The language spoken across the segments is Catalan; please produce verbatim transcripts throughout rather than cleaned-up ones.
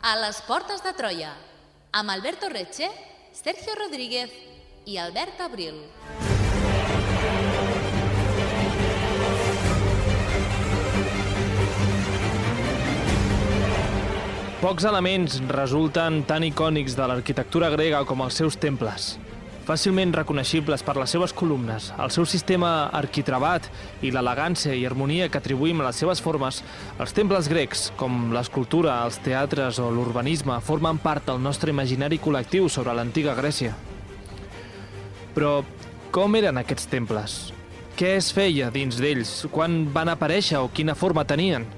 A les portes de Troia, amb Alberto Reche, Sergio Rodríguez i Albert Abril. Pocs elements resulten tan icònics de l'arquitectura grega com els seus temples. Fàcilment reconeixibles per les seves columnes, el seu sistema arquitravat i l'elegància i harmonia que atribuïm a les seves formes, els temples grecs, com l'escultura, els teatres o l'urbanisme, formen part del nostre imaginari col·lectiu sobre l'antiga Grècia. Però com eren aquests temples? Què es feia dins d'ells? Quan van aparèixer o quina forma tenien?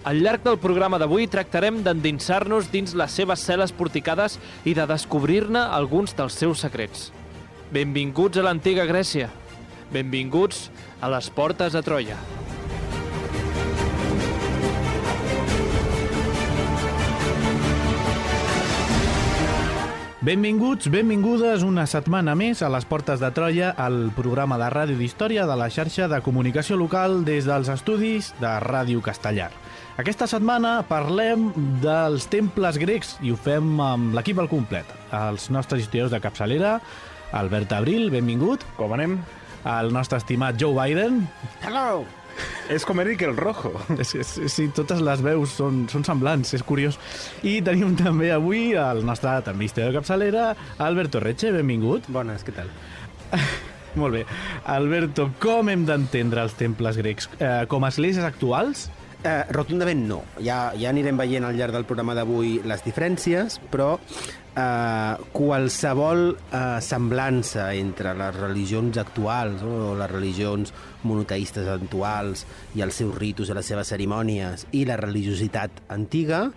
Al llarg del programa d'avui tractarem d'endinsar-nos dins les seves cel·les porticades i de descobrir-ne alguns dels seus secrets. Benvinguts a l'antiga Grècia. Benvinguts a les portes de Troia. Benvinguts, benvingudes una setmana més a les portes de Troia, el programa de ràdio d'història de la xarxa de comunicació local des dels estudis de Ràdio Castellar. Aquesta setmana parlem dels temples grecs i ho fem amb l'equip al complet. Els nostres historiadors de capçalera, Albert Abril, benvingut. Com anem? El nostre estimat Joe Biden. Hello! És com Eric el Rojo. Sí, sí, totes les veus són, són semblants, és curiós. I tenim també avui el nostre també historiador de capçalera, Alberto Reche, benvingut. Bones, què tal? Molt bé. Alberto, com hem d'entendre els temples grecs? Eh, com a esglésies actuals? Eh, rotundament no. Ja, ja anirem veient al llarg del programa d'avui les diferències, però eh, qualsevol eh, semblança entre les religions actuals o les religions monoteistes actuals i els seus ritus i les seves cerimònies i la religiositat antiga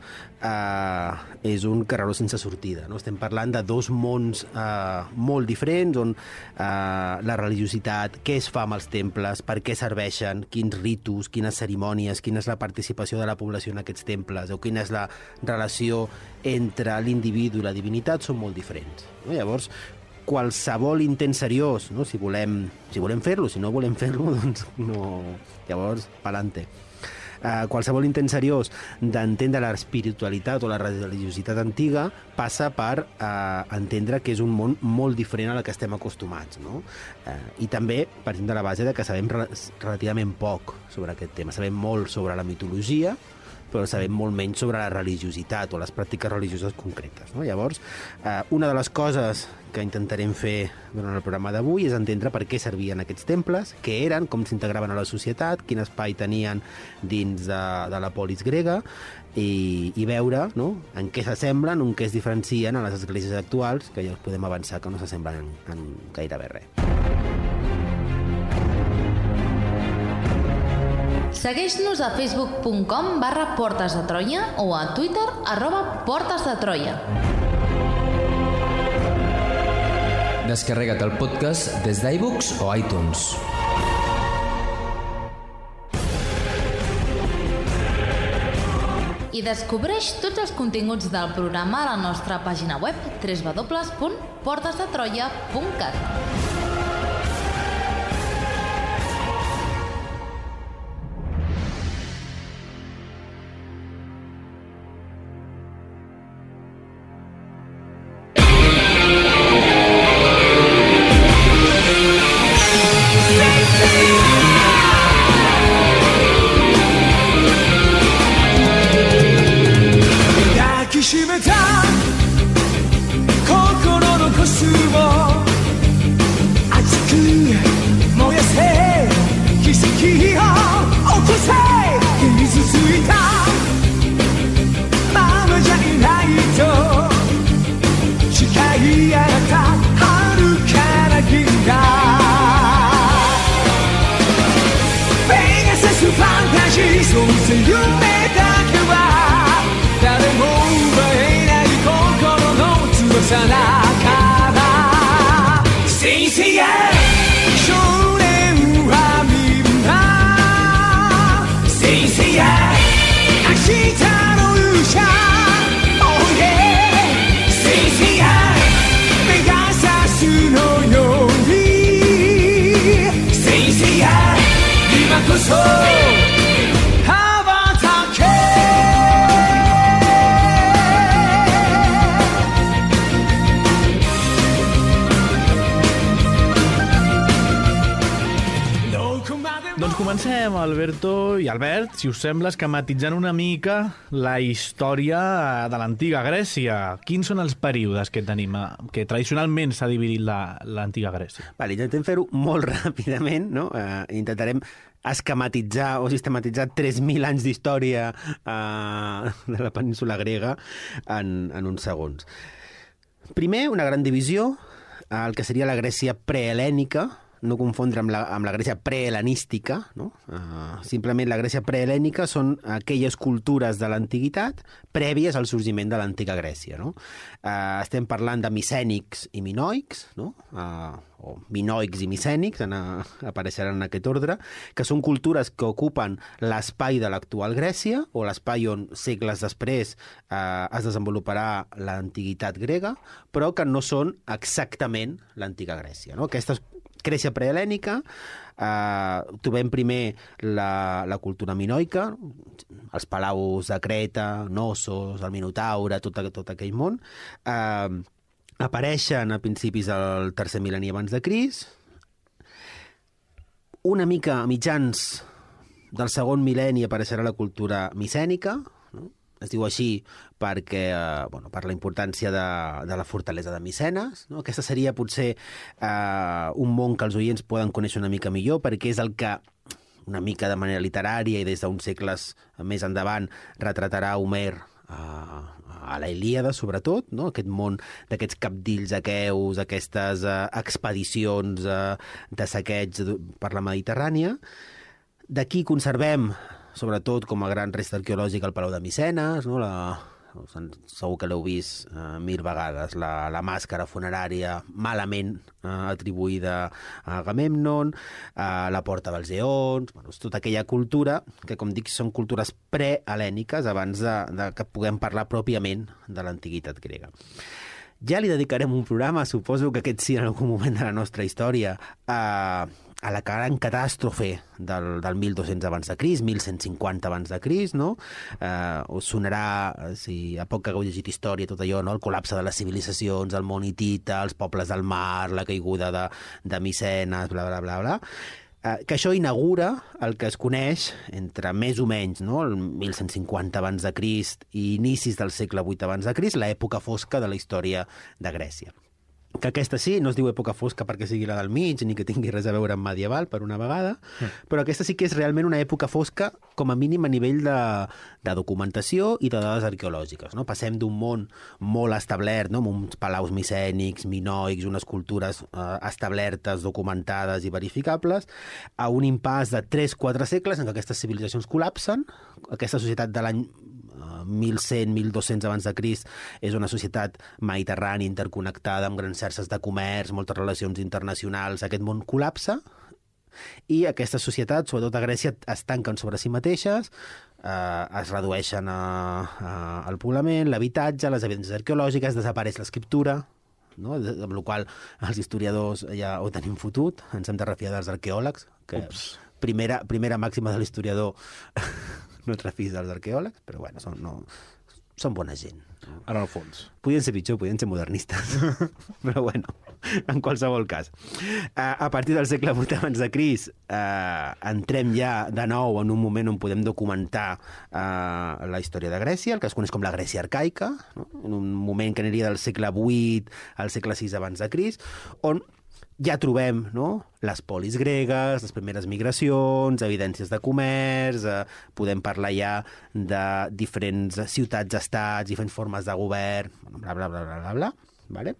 eh, és un carreró sense sortida, no? Estem parlant de dos mons eh, molt diferents on eh, la religiositat, què es fa amb els temples, per què serveixen, quins ritus, quines cerimònies, quina és la participació de la població en aquests temples o quina és la relació entre l'individu i la divinitat són molt diferents, no? Llavors, qualsevol intent seriós, no? si volem, si volem fer-lo, si no volem fer-lo, doncs no. Llavors, pa'lante. Uh, qualsevol intent seriós d'entendre l'espiritualitat o la religiositat antiga passa per uh, entendre que és un món molt diferent al que estem acostumats, no? Uh, I també partim de la base de que sabem re relativament poc sobre aquest tema. Sabem molt sobre la mitologia, però sabem molt menys sobre la religiositat o les pràctiques religioses concretes, no? Llavors, eh, una de les coses que intentarem fer durant el programa d'avui és entendre per què servien aquests temples, què eren, com s'integraven a la societat, quin espai tenien dins de, de la polis grega i, i veure, no?, en què s'assemblen, en què es diferencien a les esglésies actuals, que ja us podem avançar que no s'assemblen en, en gairebé res. Segueix-nos a facebook punt com barra portes de Troia o a Twitter arroba portes de Troia. Descarrega't el podcast des d'iBooks o iTunes. I descobreix tots els continguts del programa a la nostra pàgina web w w w punt portes de troia punt cat. Oh yeah Alberto i Albert, si us sembla, esquematitzant una mica la història de l'antiga Grècia. Quins són els períodes que tenim, que tradicionalment s'ha dividit l'antiga Grècia? Vale, intentem fer-ho molt ràpidament, no? Uh, intentarem esquematitzar o sistematitzar tres mil anys d'història uh, de la península grega en, en uns segons. Primer, una gran divisió, el que seria la Grècia prehelènica, no confondre amb la, amb la Grècia prehelenística, no? Uh, simplement la Grècia prehelènica són aquelles cultures de l'antiguitat prèvies al sorgiment de l'antiga Grècia, no? Uh, estem parlant de micènics i minoics, no? Uh, o minoics i micènics, en, uh, apareixeran en aquest ordre, que són cultures que ocupen l'espai de l'actual Grècia, o l'espai on segles després uh, es desenvoluparà l'antiguitat grega, però que no són exactament l'antiga Grècia, no? Aquestes Grècia prehelènica, eh, trobem primer la, la cultura minoica, els palaus de Creta, Knossos, el Minotaure, tot, tot aquell món. Eh, apareixen a principis del tercer mil·lenni abans de Crist. Una mica a mitjans del segon mil·lenni apareixerà la cultura micènica, no? Es diu així perquè, eh, bueno, per la importància de, de la fortalesa de Micenes, no? Aquesta seria potser eh, un món que els oients poden conèixer una mica millor, perquè és el que una mica de manera literària i des d'uns segles més endavant retratarà Homer a, a la Ilíada, sobretot, no? Aquest món d'aquests cabdills aqueus, aquestes eh, expedicions eh, de saqueig per la Mediterrània. D'aquí conservem, sobretot com a gran resta arqueològica, el Palau de Micenes, no? La, segur que l'heu vist eh, mil vegades, la, la màscara funerària malament eh, atribuïda a Agamèmnon, eh, la Porta dels Eons, bueno, és tota aquella cultura que, com dic, són cultures prehel·lèniques abans de, de que puguem parlar pròpiament de l'antiguitat grega. Ja li dedicarem un programa, suposo que aquest sí en algun moment de la nostra història, a, a la gran catàstrofe del, del mil dos-cents abans de Crist, mil cent cinquanta abans de Crist, no? Eh, us sonarà, si a poc que hagueu llegit història, tot allò, no? El col·lapse de les civilitzacions, el món hitita, els pobles del mar, la caiguda de, de Micenes, bla, bla, bla, bla. Eh, que això inaugura el que es coneix entre més o menys, no? El mil cent cinquanta abans de Crist i inicis del segle vuit abans de Crist, l'època fosca de la història de Grècia. Que aquesta sí, no es diu època fosca perquè sigui la del mig, ni que tingui res a veure amb medieval, per una vegada, mm. però aquesta sí que és realment una època fosca, com a mínim a nivell de, de documentació i de dades arqueològiques, no? Passem d'un món molt establert, no? Amb uns palaus micènics, minoics, unes cultures eh, establertes, documentades i verificables, a un impàs de tres quatre segles en què aquestes civilitzacions col·lapsen. Aquesta societat de l'any mil cent mil dos-cents abans de Crist és una societat mediterrània interconnectada amb grans xarxes de comerç, moltes relacions internacionals. Aquest món col·lapsa i aquestes societats, sobretot a Grècia, es tanquen sobre si mateixes, eh, es redueixen a, a, al poblament, l'habitatge, les evidències arqueològiques, desapareix l'escriptura, no? Amb la qual els historiadors ja ho tenim fotut, ens hem de refiar dels arqueòlegs, que primera, primera màxima de l'historiador no et refis dels arqueòlegs, però bueno, són, no, són bona gent. En el fons. Podien ser pitjor, podien ser modernistes. Però bueno, en qualsevol cas. A partir del segle vuit abans de Crist, eh, entrem ja de nou en un moment on podem documentar eh, la història de Grècia, el que es coneix com la Grècia arcaica, no? En un moment que aniria del segle vuit al segle sis abans de Crist, on ja trobem, no?, les polis gregues, les primeres migracions, evidències de comerç, eh, podem parlar ja de diferents ciutats-estats, diferents formes de govern, bla, bla, bla, bla, bla, bla, vale?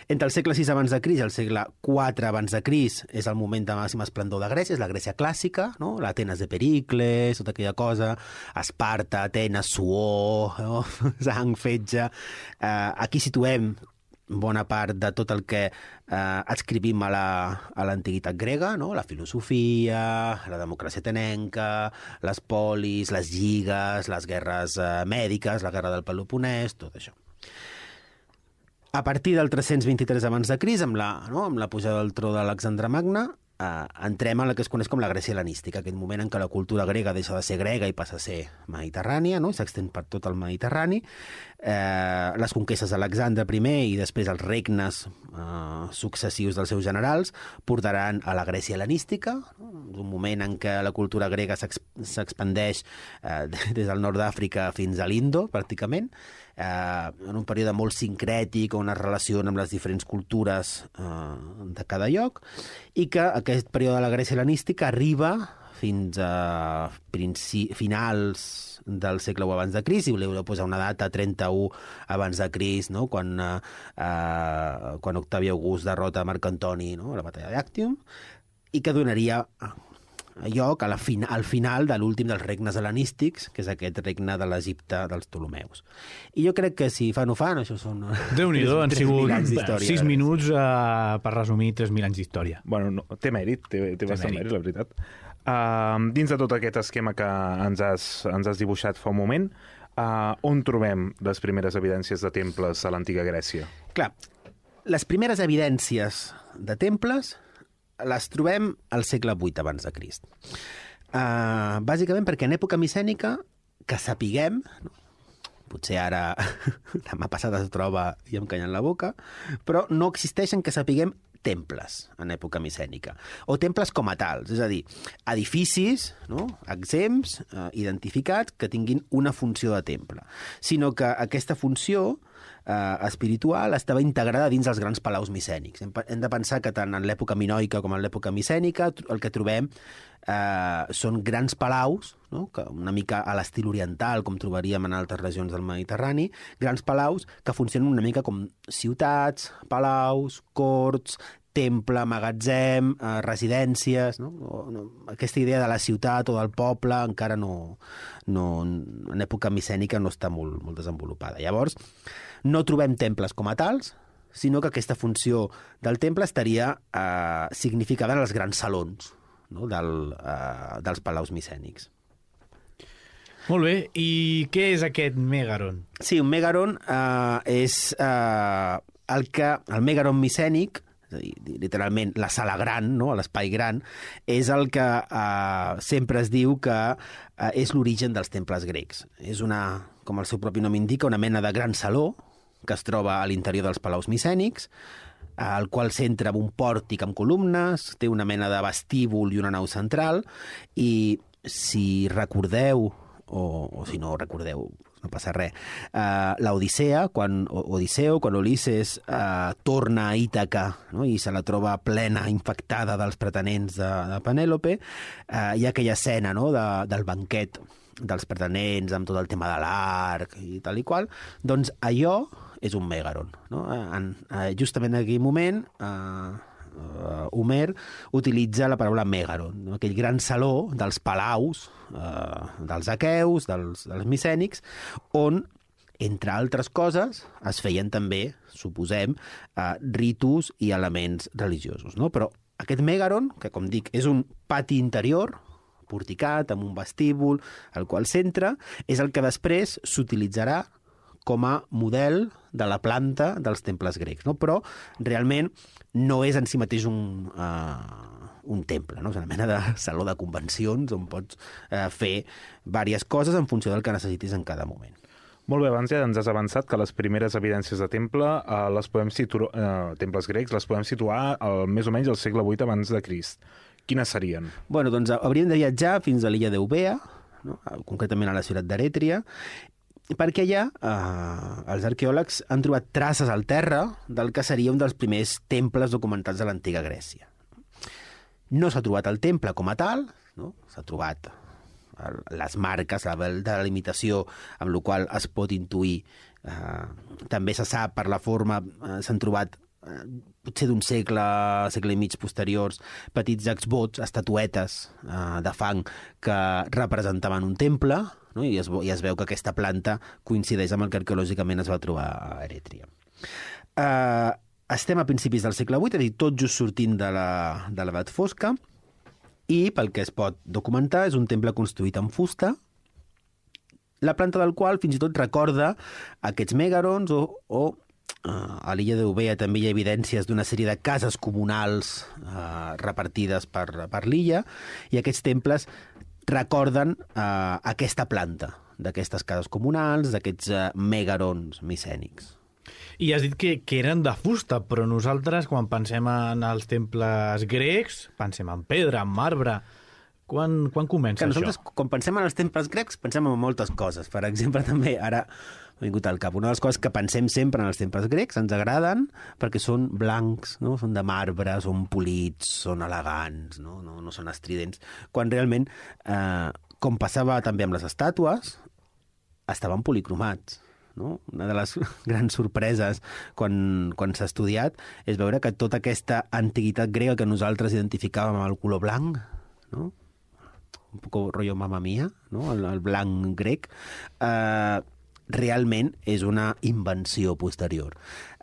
Entre el segle sis abans de Crist i el segle quatre abans de Crist és el moment de màxim esplendor de Grècia, és la Grècia clàssica, no? L'Atenes de Pericles, tota aquella cosa, Esparta, Atenes, suor, no? Sang, fetge. Eh, aquí situem bona part de tot el que eh, adscrivim a l'antiguitat la, grega, no? La filosofia, la democràcia atenenca, les polis, les lligues, les guerres eh, mèdiques, la guerra del Peloponès, tot això. A partir del tres-cents vint-i-tres abans de Crist, amb la, no? amb la pujada del tro d'Alexandre Magne, Uh, entrem a la que es coneix com la Grècia hel·lenística, aquell moment en què la cultura grega deixa de ser grega i passa a ser mediterrània, no? S'extén per tot el Mediterrani. Uh, les conquestes d'Alexandre primer i després els regnes uh, successius dels seus generals portaran a la Grècia hel·lenística, no? Un moment en què la cultura grega s'expandeix uh, des del nord d'Àfrica fins a l'Indo, pràcticament, uh, en un període molt sincrètic on es relaciona amb les diferents cultures uh, de cada lloc, i que aquest període de la Grècia hel·lenística arriba fins a finals del segle u abans de Crist, i voleu posar una data, trenta-u abans de Crist, no? quan, eh, eh, quan Octavi August derrota Marc Antoni, no? a la batalla d'Actium, i que donaria lloc a la fin al final de l'últim dels regnes hel·lenístics, que és aquest regne de l'Egipte dels Ptolemeus. I jo crec que si fan o fan, això són... Déu-n'hi-do, han sigut sis minuts uh, per resumir tres mil anys d'història. Bueno, no, té mèrit, té, té, té bastant mèrit, la veritat. Uh, dins de tot aquest esquema que ens has, ens has dibuixat fa un moment, uh, on trobem les primeres evidències de temples a l'antiga Grècia? Clar, les primeres evidències de temples les trobem al segle vuit abans de Crist. Uh, bàsicament perquè en època micènica, que sapiguem, no? Potser ara demà passat es troba i em canyen la boca, però no existeixen que sapiguem temples en època micènica, o temples com a tals, és a dir, edificis, no? exempts, eh, identificats, que tinguin una funció de temple, sinó que aquesta funció eh, espiritual estava integrada dins els grans palaus micènics. Hem, hem de pensar que tant en l'època minoica com en l'època micènica el que trobem eh, són grans palaus, no? Que una mica a l'estil oriental, com trobaríem en altres regions del Mediterrani, grans palaus que funcionen una mica com ciutats, palaus, corts, temple, magatzem, eh, residències, no? No, no, aquesta idea de la ciutat o del poble encara no, no en època micènica no està molt, molt desenvolupada. Llavors, no trobem temples com a tals, sinó que aquesta funció del temple estaria eh, significada en els grans salons, no? Del, eh, dels palaus micènics. Molt bé, i què és aquest Mègaron? Sí, un Mègaron eh, és eh, el que el Mègaron micènic, és a dir, literalment la sala gran, no? l'espai gran, és el que eh, sempre es diu que eh, és l'origen dels temples grecs. És una, com el seu propi nom indica, una mena de gran saló que es troba a l'interior dels palaus micènics, al qual s'entra amb un pòrtic amb columnes, té una mena de vestíbul i una nau central, i si recordeu, o, o si no recordeu, no passa res, uh, l'Odissea, quan Odisseu, quan Ulisses uh, torna a Ítaca, no? i se la troba plena, infectada dels pretenents de, de Penèlope, uh, hi ha aquella escena, no? de, del banquet dels pretenents, amb tot el tema de l'arc i tal i qual, doncs allò és un Mègaron. No? En, uh, justament en aquell moment, uh, Uh, Homer utilitza la paraula Mègaron, no? Aquell gran saló dels palaus, uh, dels aqueus, dels, dels micènics, on, entre altres coses, es feien també, suposem, uh, ritus i elements religiosos. No? Però aquest Mègaron, que com dic, és un pati interior, porticat, amb un vestíbul, al qual s'entra, és el que després s'utilitzarà com a model de la planta dels temples grecs, no? Però realment no és en si mateix un, uh, un temple, no? És una mena de saló de convencions on pots uh, fer diverses coses en funció del que necessitis en cada moment. Molt bé, abans ja ens has avançat que les primeres evidències de temple, uh, les podem situar, uh, temples grecs, les podem situar al, més o menys al segle vuit abans de Crist. Quines serien? Bueno, doncs hauríem de viatjar fins a l'illa d'Eubea, no? Concretament a la ciutat d'Erètria, perquè allà eh, els arqueòlegs han trobat traces al terra del que seria un dels primers temples documentats de l'antiga Grècia. No s'ha trobat el temple com a tal, no? S'ha trobat el, les marques, la delimitació amb la qual es pot intuir. Eh, també se sap per la forma, eh, s'han trobat eh, potser d'un segle, segle i mig posteriors, petits exvots, estatuetes eh, de fang que representaven un temple, no? I, es, i es veu que aquesta planta coincideix amb el que arqueològicament es va trobar a Erètria. Uh, estem a principis del segle vuit, és a dir, tot just sortint de l'edat fosca, i pel que es pot documentar és un temple construït en fusta, la planta del qual fins i tot recorda aquests Mègarons o, o a l'illa d'Eubea també hi ha evidències d'una sèrie de cases comunals uh, repartides per, per l'illa, i aquests temples recorden uh, aquesta planta d'aquestes cases comunals, d'aquests uh, megarons micènics. I has dit que, que eren de fusta, però nosaltres, quan pensem en els temples grecs, pensem en pedra, en marbre. Quan, quan comença que això? Nosaltres, quan pensem en els temples grecs, pensem en moltes coses. Per exemple, també, ara m'ha vingut al cap, una de les coses que pensem sempre en els temples grecs, ens agraden perquè són blancs, no? Són de marbre, són polits, són elegants, no, no, no són estridents, quan realment, eh, com passava també amb les estàtues, estaven policromats. No? Una de les grans sorpreses quan, quan s'ha estudiat és veure que tota aquesta antiguitat grega que nosaltres identificàvem amb el color blanc, no? Un poc rotllo Mamma Mia, no? el, el blanc grec, eh, realment és una invenció posterior.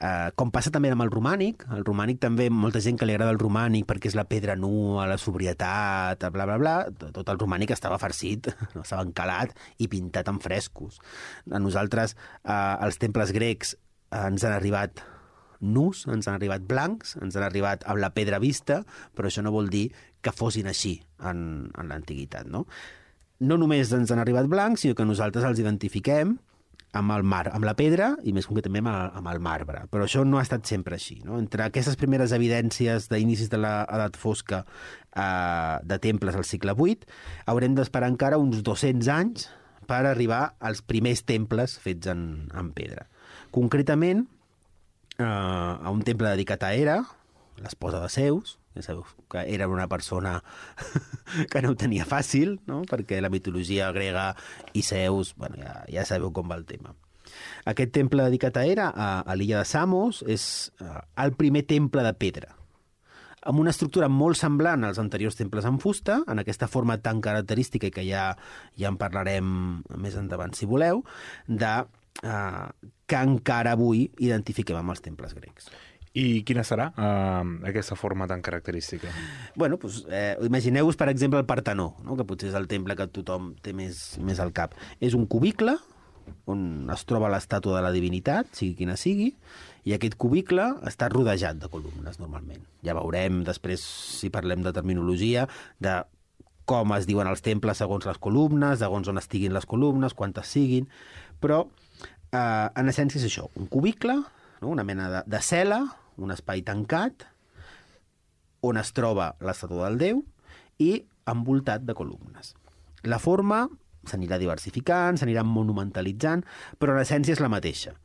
Eh, com passa també amb el romànic, el romànic també, molta gent que li agrada el romànic perquè és la pedra nua, la sobrietat, bla, bla, bla, tot el romànic estava farcit, no? Estava encalat i pintat amb frescos. A nosaltres, eh, els temples grecs eh, ens han arribat nus, ens han arribat blancs, ens han arribat amb la pedra vista, però això no vol dir que fossin així en, en l'antiguitat, no? No només ens han arribat blancs, sinó que nosaltres els identifiquem amb el mar, amb la pedra i més concretament amb el, amb el marbre. Però això no ha estat sempre així, no? Entre aquestes primeres evidències d'inicis de l'edat fosca eh, de temples al segle vuit, haurem d'esperar encara uns dos-cents anys per arribar als primers temples fets en, en pedra. Concretament, eh, a un temple dedicat a Hera, l'esposa de Zeus, ja sabeu que era una persona que no ho tenia fàcil, no? Perquè la mitologia grega i Zeus, bueno, ja, ja sabeu com va el tema. Aquest temple dedicat a Hera, a, a l'illa de Samos, és uh, el primer temple de pedra, amb una estructura molt semblant als anteriors temples en fusta, en aquesta forma tan característica i que ja, ja en parlarem més endavant, si voleu, de, uh, que encara avui identifiquem amb els temples grecs. I quina serà uh, aquesta forma tan característica? Bueno, doncs, eh, imagineu-vos, per exemple, el Partenó, no? Que potser és el temple que tothom té més, més al cap. És un cubicle on es troba l'estàtua de la divinitat, sigui quina sigui, i aquest cubicle està rodejat de columnes, normalment. Ja veurem després, si parlem de terminologia, de com es diuen els temples segons les columnes, segons on estiguin les columnes, quantes siguin, però eh, en essència és això, un cubicle, no? Una mena de, de cel·la, un espai tancat, on es troba l'estàtua del déu i envoltat de columnes. La forma s'anirà diversificant, s'anirà monumentalitzant, però l'essència és la mateixa.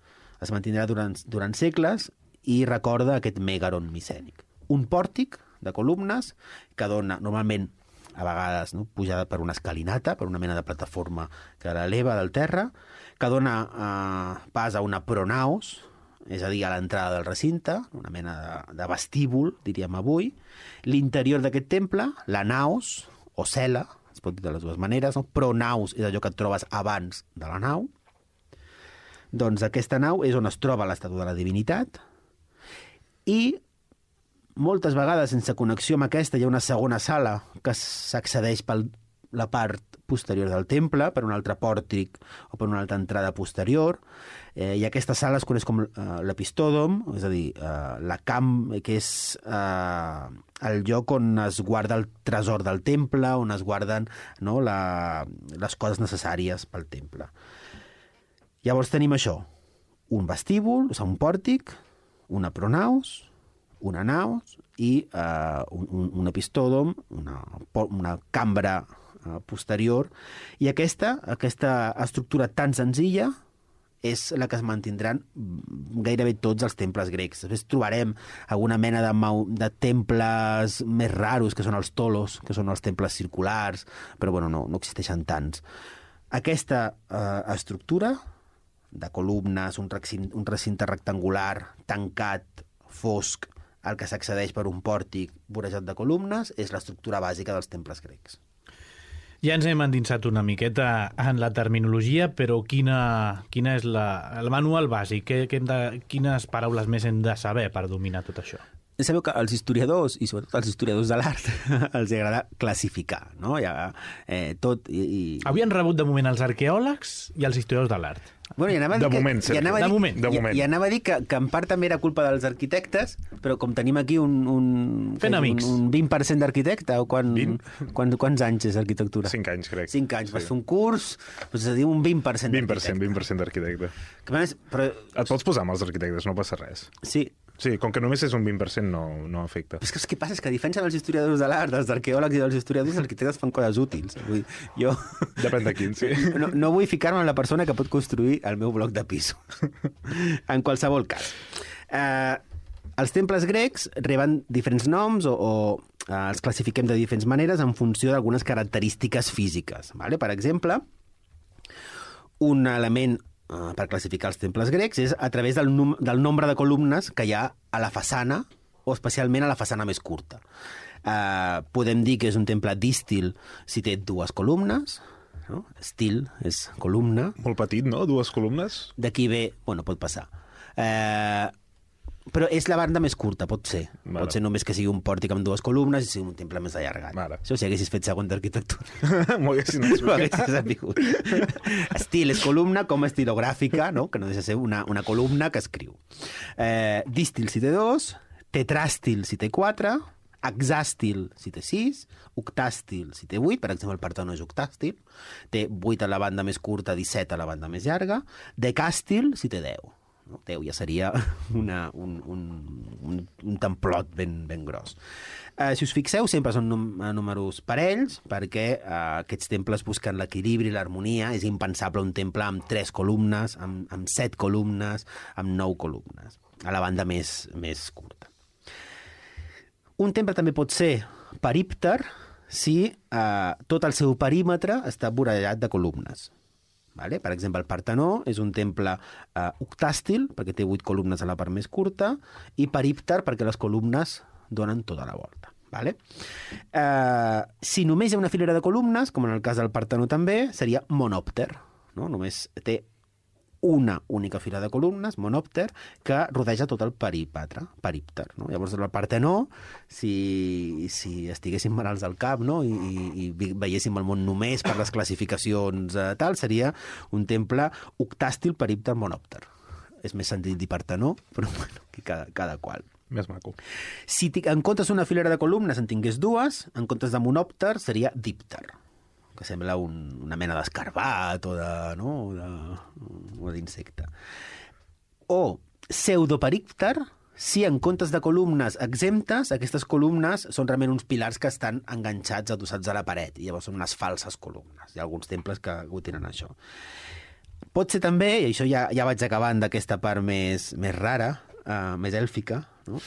Es mantindrà durant, durant segles i recorda aquest megaron micènic. Un pòrtic de columnes que dona, normalment, a vegades, no, pujada per una escalinata, per una mena de plataforma que l'eleva del terra, que dona eh, pas a una pronaos, és a dir, a l'entrada del recinte, una mena de, de vestíbul, diríem avui. L'interior d'aquest temple, la naos, o cel·la, es pot dir de les dues maneres, no? Pronaos és allò que et trobes abans de la nau. Doncs aquesta nau és on es troba l'estàtua de la divinitat, i moltes vegades, sense connexió amb aquesta, hi ha una segona sala que s'accedeix per la part posterior del temple, per un altre pòrtic o per una altra entrada posterior, eh, i aquesta sala es coneix com eh, l'epistòdom, és a dir, eh, la camp, que és eh, el lloc on es guarda el tresor del temple, on es guarden, no, la, les coses necessàries pel temple. Llavors tenim això, un vestíbul, o sigui, un pòrtic, una pronaos, una naos i eh, un, un epistòdom, una, una cambra posterior, i aquesta, aquesta estructura tan senzilla és la que es mantindran gairebé tots els temples grecs. Després trobarem alguna mena de, de temples més raros, que són els tolos, que són els temples circulars, però bueno, no, no existeixen tants. Aquesta eh, estructura de columnes, un recinte, un recinte rectangular, tancat, fosc, al que s'accedeix per un pòrtic vorejat de columnes, és l'estructura bàsica dels temples grecs. Ja ens hem endinsat una miqueta en la terminologia, però quina, quina és la, el manual bàsic? Que, que hem de, quines paraules més hem de saber per dominar tot això? sabeu que els historiadors, i sobretot els historiadors de l'art, els agrada classificar, no? Ja, eh, tot i, i... Havien rebut de moment els arqueòlegs i els historiadors de l'art. Bueno, i anava a dir de que, moment, i anava a dir, de moment. De i, moment. I anava a dir que, que en part també era culpa dels arquitectes, però com tenim aquí un, un, Fent amics. un, un vint per cent d'arquitecte, o quan, vint? quan, quants anys és arquitectura? Cinc anys, crec. Cinc anys. Sí. Vas fer un curs, doncs és a dir, un vint per cent vint per cent, d'arquitecte. vint per cent d'arquitecte. Que, a més, però, Et pots posar amb els arquitectes, no passa res. sí, Sí, com que només és un vint per cent no, no afecta. però és que el que passa és que a diferència dels historiadors de l'art, dels arqueòlegs i dels historiadors, els arquitectes fan coses útils. Vull dir, jo Depèn de quin, sí. no, no vull ficar-me en la persona que pot construir el meu bloc de pisos. En qualsevol cas. Eh, els temples grecs reben diferents noms o, o eh, els classifiquem de diferents maneres en funció d'algunes característiques físiques. Vale? Per exemple, un element Uh, per classificar els temples grecs és a través del, num del nombre de columnes que hi ha a la façana, o especialment a la façana més curta. Uh, podem dir que és un temple dístil si té dues columnes, no? Estil és columna. Molt petit, no? Dues columnes? D'aquí ve... Bueno, pot passar. Uh, però és la banda més curta, pot ser. Vale. Pot ser només que sigui un pòrtic amb dues columnes i sigui un temple més allargat. Vale. Això si haguessis fet segon d'arquitectura. M'ho haguessin Ho explicat. haguessis sapigut. Estil és columna com estilogràfica, no? Que no deixa de ser una, una columna que escriu. Eh, dístil si té dos, tetràstil si té quatre, hexàstil si té sis, octàstil si té vuit, per exemple el Partenó és octàstil, té vuit a la banda més curta, disset a la banda més llarga, decàstil si té deu. No? deu ja seria una, un, un, un, un templot ben, ben gros. Eh, si us fixeu, sempre són num números parells, perquè eh, aquests temples busquen l'equilibri i l'harmonia. És impensable un temple amb tres columnes, amb, amb set columnes, amb nou columnes, a la banda més, més curta. Un temple també pot ser perípter si eh, tot el seu perímetre està vorejat de columnes. Vale? Per exemple, el Partenó és un temple eh, octàstil, perquè té vuit columnes a la part més curta, i perípter perquè les columnes donen tota la volta. Vale? Eh, si només hi ha una filera de columnes, com en el cas del Partenó també, seria monòpter. No? Només té una única fila de columnes, monòpter, que rodeja tot el perímetre, perípter. No? Llavors, el Partenó, si, si estiguéssim malalts al cap, no? I, i, i veiéssim el món només per les classificacions eh, tal, seria un temple octàstil perípter monòpter. És més sentit dir Partenó, però bueno, cada, cada qual. Més maco. Si en comptes d'una filera de columnes en tingués dues, en comptes de monòpter seria dípter, que sembla un, una mena d'escarbat o de, no? o d'insecte. O pseudoperípter, si en comptes de columnes exemptes, aquestes columnes són realment uns pilars que estan enganxats, adossats a la paret, i llavors són unes falses columnes. Hi ha alguns temples que ho tenen això. Pot ser també, i això ja, ja vaig acabant d'aquesta part més, més rara, uh, més èlfica, no?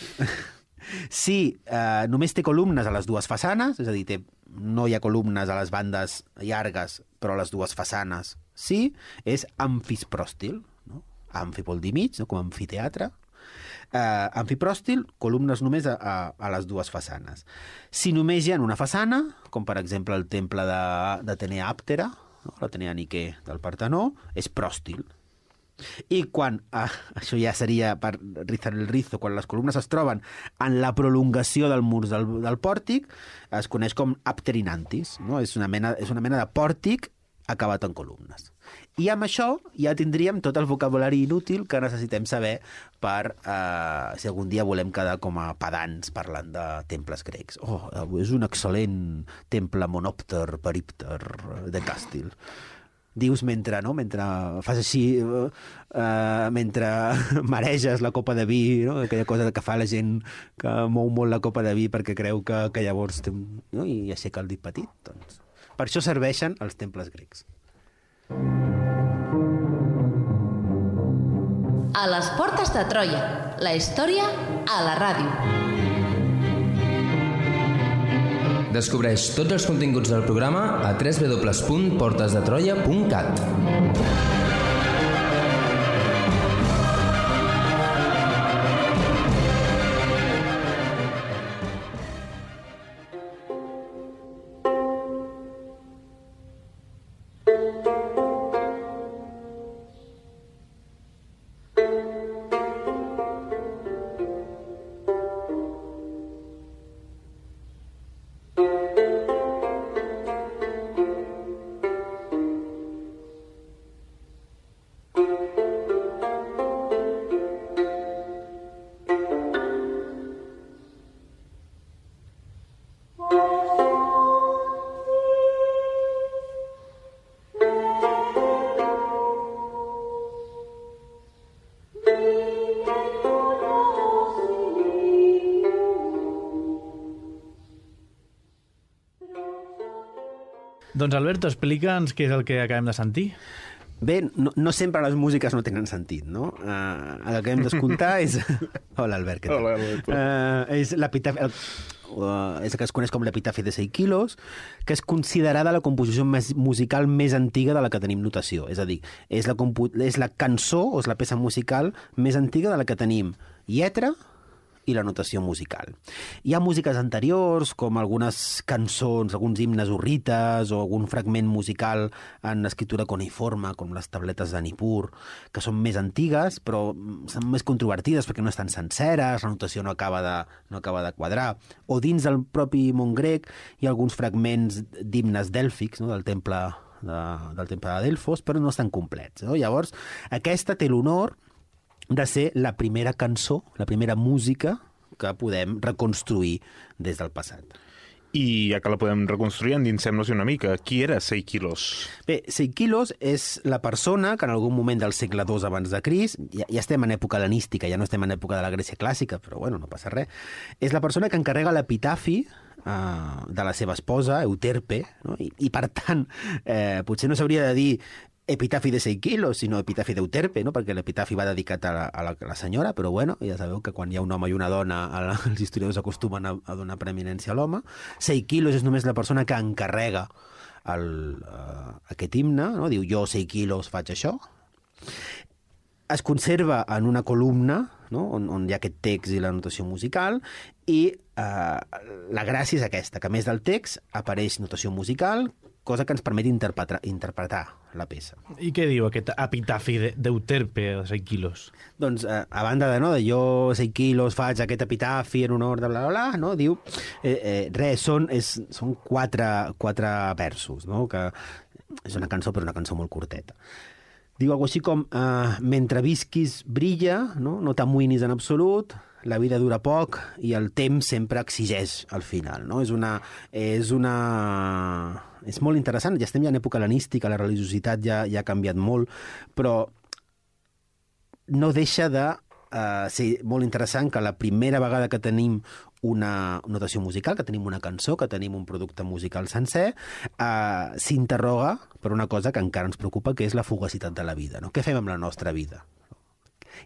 si uh, només té columnes a les dues façanes, és a dir, té, no hi ha columnes a les bandes llargues, però a les dues façanes sí, és amfispròstil, no? Amfi vol dir mig, no? Com amfiteatre. Uh, amfipròstil, columnes només a, a, a les dues façanes. Si només hi ha una façana, com per exemple el temple d'Atenea Àptera, no? l'Atenea Niqué del Partenó, és pròstil. I quan, ah, això ja seria per rizar el rizo, quan les columnes es troben en la prolongació del mur del, del pòrtic, es coneix com apterinantis, no? És una mena, és una mena de pòrtic acabat en columnes. I amb això ja tindríem tot el vocabulari inútil que necessitem saber per, eh, si algun dia volem quedar com a pedants parlant de temples grecs. Oh, és un excel·lent temple monòpter, perípter, de Càstil. Dius mentre, no? mentre fas així, uh, mentre mareges la copa de vi, no? Aquella cosa que fa la gent que mou molt la copa de vi perquè creu que, que llavors té un... no? I aixeca el dit petit. Doncs. Per això serveixen els temples grecs. A les portes de Troia, la història a la ràdio. Descobreix tots els continguts del programa a w w w punt portes de troia punt cat. Doncs Alberto, explica'ns què és el que acabem de sentir. Bé, no, no sempre les músiques no tenen sentit, no? Uh, el que hem d'escoltar és... Hola, Albert, què tal? Hola, Albert. Uh, és l'epitafi... El... Uh, és el que es coneix com l'epitafi de seis quilos, que és considerada la composició més musical més antiga de la que tenim notació. És a dir, és la, compu... és la cançó o és la peça musical més antiga de la que tenim lletra i la notació musical. Hi ha músiques anteriors, com algunes cançons, alguns himnes urrites o algun fragment musical en escriptura cuneiforme, com les tabletes de Nippur, que són més antigues, però són més controvertides perquè no estan senceres, la notació no acaba de, no acaba de quadrar. O dins del propi món grec hi ha alguns fragments d'himnes dèlfics, no?, del temple de, del temple de Delfos, però no estan complets, no? Llavors, aquesta té l'honor de ser la primera cançó, la primera música que podem reconstruir des del passat. I ja que la podem reconstruir, endinsem-nos una mica. Qui era Seikilos? Bé, Seikilos és la persona que en algun moment del segle dos abans de Crist, ja, ja estem en època hel·lenística, ja no estem en època de la Grècia clàssica, però bueno, no passa res, és la persona que encarrega l'epitafi uh, de la seva esposa, Euterpe, no? I, i per tant, eh, potser no s'hauria de dir epitafi de seis quilos, sinó epitafi d'Euterpe, no? Perquè l'epitafi va dedicat a la, a, la, a la senyora, però bueno, ja sabeu que quan hi ha un home i una dona, els historiadors acostumen a, a donar preeminència a l'home. seis quilos és només la persona que encarrega el, uh, aquest himne, no? Diu, jo seis quilos faig això. Es conserva en una columna, no? on, on hi ha aquest text i la notació musical, i uh, la gràcia és aquesta, que a més del text apareix notació musical, cosa que ens permet interpretar, interpretar la peça. I què diu aquest epitafi d'Euterpe de seis quilos? Doncs, eh, a banda de, no, de jo seis quilos faig aquest epitafi en honor de bla, bla, bla, no? Diu, eh, eh, res, són, és, són quatre, quatre versos, no? Que és una cançó, però una cançó molt curteta. Diu alguna cosa així com, eh, mentre visquis brilla, no, no t'amoïnis en absolut, la vida dura poc i el temps sempre exigeix al final, no? És una... És una... És molt interessant, ja estem ja en època hel·lenística, la religiositat ja, ja ha canviat molt, però no deixa de uh, ser molt interessant que la primera vegada que tenim una notació musical, que tenim una cançó, que tenim un producte musical sencer, uh, s'interroga per una cosa que encara ens preocupa, que és la fugacitat de la vida, no? Què fem amb la nostra vida?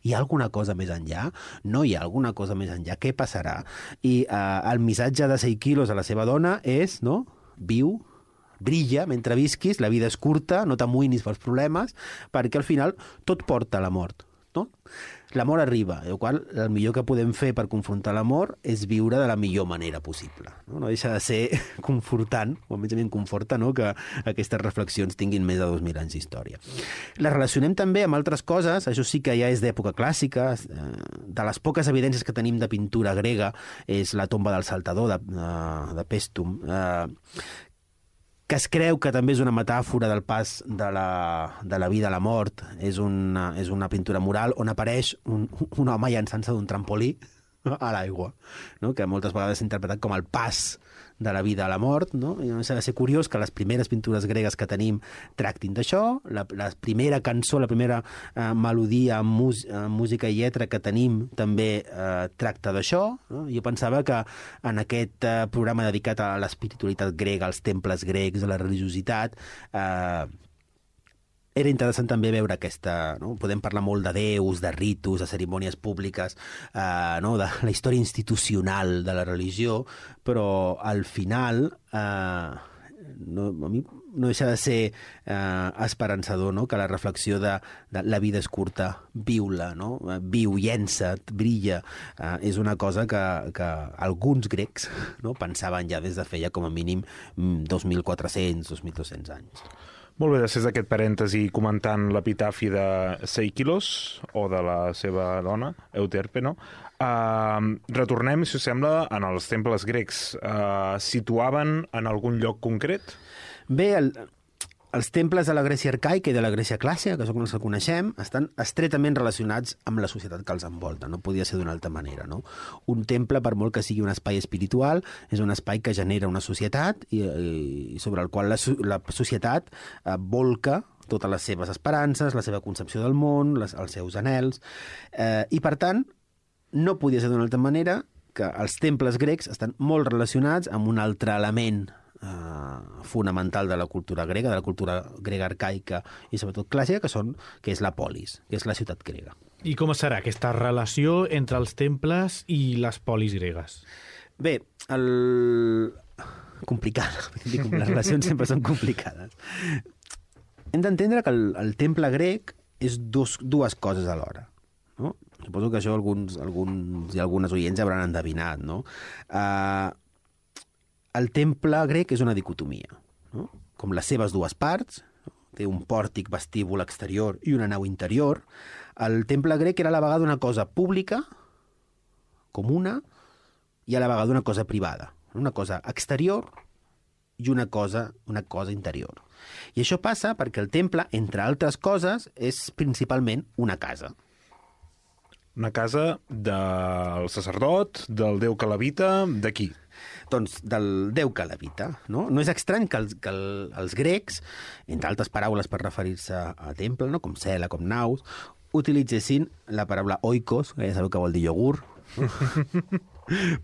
Hi ha alguna cosa més enllà? No hi ha alguna cosa més enllà? Què passarà? I uh, el missatge de seis quilos a la seva dona és, no?, viu, brilla mentre visquis, la vida és curta, no t'amoïnis pels problemes, perquè al final tot porta a la mort, no? L'amor arriba, el qual el millor que podem fer per confrontar l'amor és viure de la millor manera possible. No, no deixa de ser confortant, o almenys a mi em conforta, no?, que aquestes reflexions tinguin més de dos mil anys d'història. La relacionem també amb altres coses, això sí que ja és d'època clàssica, de les poques evidències que tenim de pintura grega és la tomba del saltador de, de Pèstum, que es creu que també és una metàfora del pas de la, de la vida a la mort. És una, és una pintura mural on apareix un, un home llançant-se d'un trampolí a l'aigua, no? Que moltes vegades s'ha interpretat com el pas de la vida a la mort, no? I no s'ha de ser curiós que les primeres pintures gregues que tenim tractin d'això, la, la primera cançó, la primera eh, melodia amb, mus, amb música i lletra que tenim també eh, tracta d'això, no? Jo pensava que en aquest eh, programa dedicat a l'espiritualitat grega, als temples grecs, a la religiositat, eh, era interessant també veure aquesta... No? Podem parlar molt de déus, de ritus, de cerimònies públiques, eh, no? De la història institucional de la religió, però al final eh, no, a mi no deixa de ser eh, esperançador, no? Que la reflexió de, de la vida és curta, viu-la, no? Viu, llença't, brilla, eh, és una cosa que, que alguns grecs, no?, pensaven ja des de feia com a mínim dos mil quatre-cents, dos mil dos-cents anys. Molt bé, després d'aquest parèntesi comentant l'epitafi de Seikilos, o de la seva dona, Euterpe, no? Uh, retornem, si us sembla, en els temples grecs. Uh, situaven en algun lloc concret? Bé, el, els temples de la Grècia arcaica i de la Grècia clàssica, que són els que coneixem, estan estretament relacionats amb la societat que els envolta. No podia ser d'una altra manera, no? Un temple, per molt que sigui un espai espiritual, és un espai que genera una societat i, i sobre el qual la, la societat eh, volca totes les seves esperances, la seva concepció del món, les, els seus anhels, eh, i per tant, no podia ser d'una altra manera que els temples grecs estan molt relacionats amb un altre element eh, fonamental de la cultura grega, de la cultura grega arcaica i sobretot clàssica, que, són, que és la polis, que és la ciutat grega. I com serà aquesta relació entre els temples i les polis gregues? Bé, el... complicada, dic, les relacions sempre són complicades. Hem d'entendre que el, el temple grec és dos, dues coses alhora, no? Suposo que això alguns, alguns i algunes oients hauran endevinat, no? Uh, el temple grec és una dicotomia, no? Com les seves dues parts, no? Té un pòrtic, vestíbul exterior i una nau interior. El temple grec era a la vegada una cosa pública, comuna, i a la vegada una cosa privada, una cosa exterior i una cosa, una cosa interior. I això passa perquè el temple, entre altres coses, és principalment una casa. Una casa del sacerdot, del déu que l'habita, de qui? Doncs del déu que l'habita, no? No és estrany que, els, que el, els grecs, entre altres paraules per referir-se a temple, no? Com cel·la, com naus, utilitzessin la paraula oikos, que ja sabeu que vol dir iogurt, no?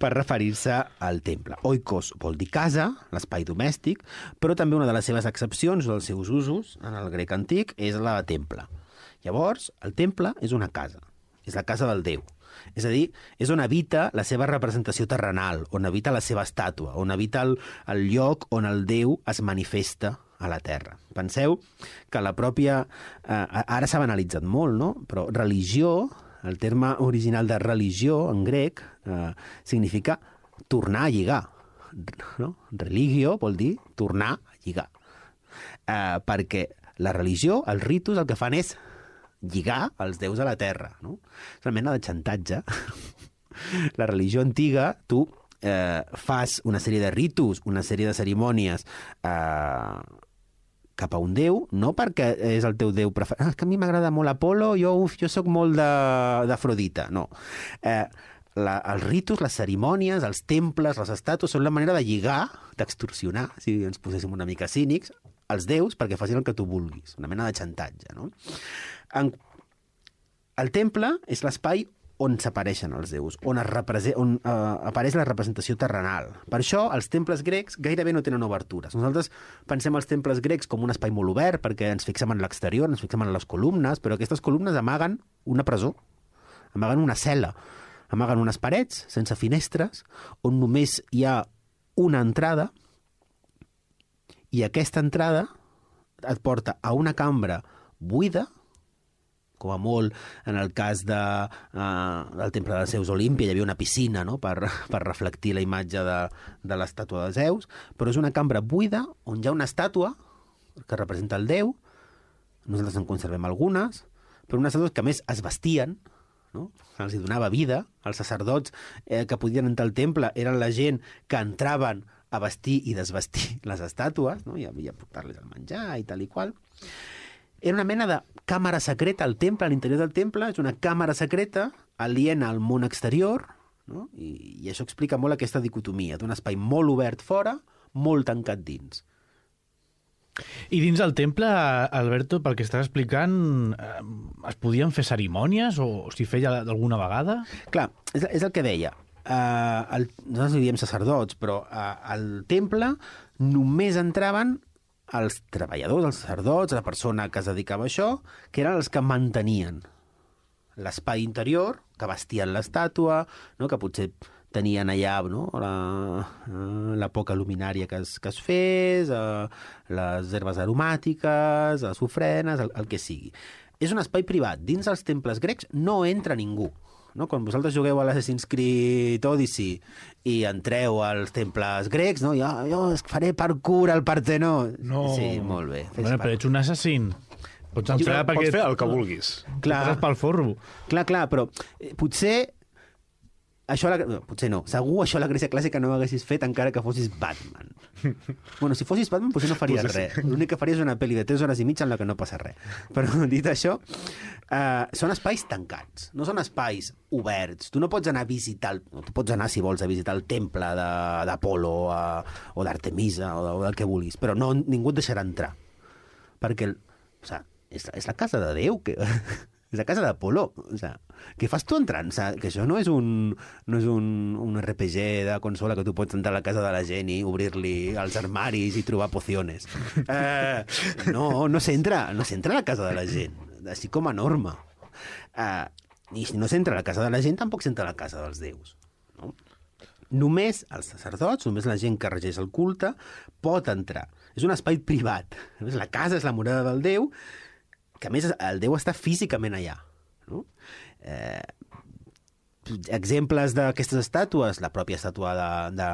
per referir-se al temple. Oikos vol dir casa, l'espai domèstic, però també una de les seves excepcions, dels seus usos, en el grec antic, és la de temple. Llavors, el temple és una casa, és la casa del déu. És a dir, és on habita la seva representació terrenal, on habita la seva estàtua, on habita el, el lloc on el déu es manifesta a la terra. Penseu que la pròpia... Eh, ara s'ha banalitzat molt, no? Però religió, el terme original de religió en grec, eh, significa tornar a lligar. No? Religio vol dir tornar a lligar. Eh, perquè la religió, els ritus, el que fan és lligar els déus a la terra, no? És una mena de xantatge. La religió antiga, tu eh, fas una sèrie de ritus, una sèrie de cerimònies eh, cap a un déu, no perquè és el teu déu preferit. Ah, és que a mi m'agrada molt Apolo, jo, uf, jo sóc molt d'Afrodita. No. Eh, la, els ritus, les cerimònies, els temples, les estàtues, són la manera de lligar, d'extorsionar, si ens poséssim una mica cínics, els déus perquè facin el que tu vulguis. Una mena de xantatge, no? En... El temple és l'espai on s'apareixen els déus, on, es represent, on uh, apareix la representació terrenal. Per això, els temples grecs gairebé no tenen obertures. Nosaltres pensem els temples grecs com un espai molt obert, perquè ens fixem en l'exterior, ens fixem en les columnes, però aquestes columnes amaguen una presó, amaguen una cel·la, amaguen unes parets sense finestres, on només hi ha una entrada, i aquesta entrada et porta a una cambra buida, com a molt en el cas de, uh, del temple de Zeus Olímpia, hi havia una piscina, no?, per, per reflectir la imatge de, de l'estàtua de Zeus, però és una cambra buida on hi ha una estàtua que representa el déu, nosaltres en conservem algunes, però unes estàtues que a més es vestien, no? Els hi donava vida, els sacerdots eh, que podien entrar al temple eren la gent que entraven a vestir i desvestir les estàtues, no? I havia portar-les al menjar i tal i qual. Era una mena de càmera secreta al temple, a l'interior del temple, és una càmera secreta aliena al món exterior, no? I, i això explica molt aquesta dicotomia d'un espai molt obert fora, molt tancat dins. I dins del temple, Alberto, pel que estàs explicant, eh, es podien fer cerimònies o s'hi feia alguna vegada? Clar, és, és el que deia. Uh, el, nosaltres li diem sacerdots, però uh, al temple només entraven els treballadors, els sacerdots, la persona que es dedicava a això, que eren els que mantenien l'espai interior, que vestien l'estàtua, no? Que potser tenien allà, no?, la, la poca luminària que es, que es fes, eh, les herbes aromàtiques, les ofrenes, el, el que sigui. És un espai privat. Dins els temples grecs no entra ningú. No? Quan vosaltres jugueu a l'Assassin's Creed Odyssey i entreu als temples grecs, no? Jo, jo faré parkour al Partenó. No. Sí, molt bé. Bueno, però ets un assassin. Pots entrar Pots perquè... fer el que vulguis. Clar, Poses pel forro. clar, clar, però eh, potser això a la... no, potser no. Segur això a la Grècia clàssica no ho haguessis fet encara que fossis Batman. Bueno, si fossis Batman potser no faries Potser res. L'únic que faries és una pel·li de tres hores i mitja en la que no passa res. Però dit això, eh, són espais tancats, no són espais oberts. Tu no pots anar a visitar, el... no, tu pots anar si vols a visitar el temple d'Apolo o d'Artemisa o, o del que vulguis, però no, ningú et deixarà entrar. Perquè, el... o sigui, és, és la casa de Déu que... És la casa d'Apolo. O sea, què fas tu entrant? O sea, que això no és un, no és un, un R P G de consola que tu pots entrar a la casa de la gent i obrir-li els armaris i trobar pociones. Uh, no, no s'entra, no s'entra a la casa de la gent, així com a norma. Uh, I si no s'entra a la casa de la gent, tampoc s'entra a la casa dels déus. No? Només els sacerdots, només la gent que regeix el culte, pot entrar. És un espai privat. La casa és la morada del Déu, que a més el Déu està físicament allà. No? Eh, exemples d'aquestes estàtues, la pròpia estàtua de, de,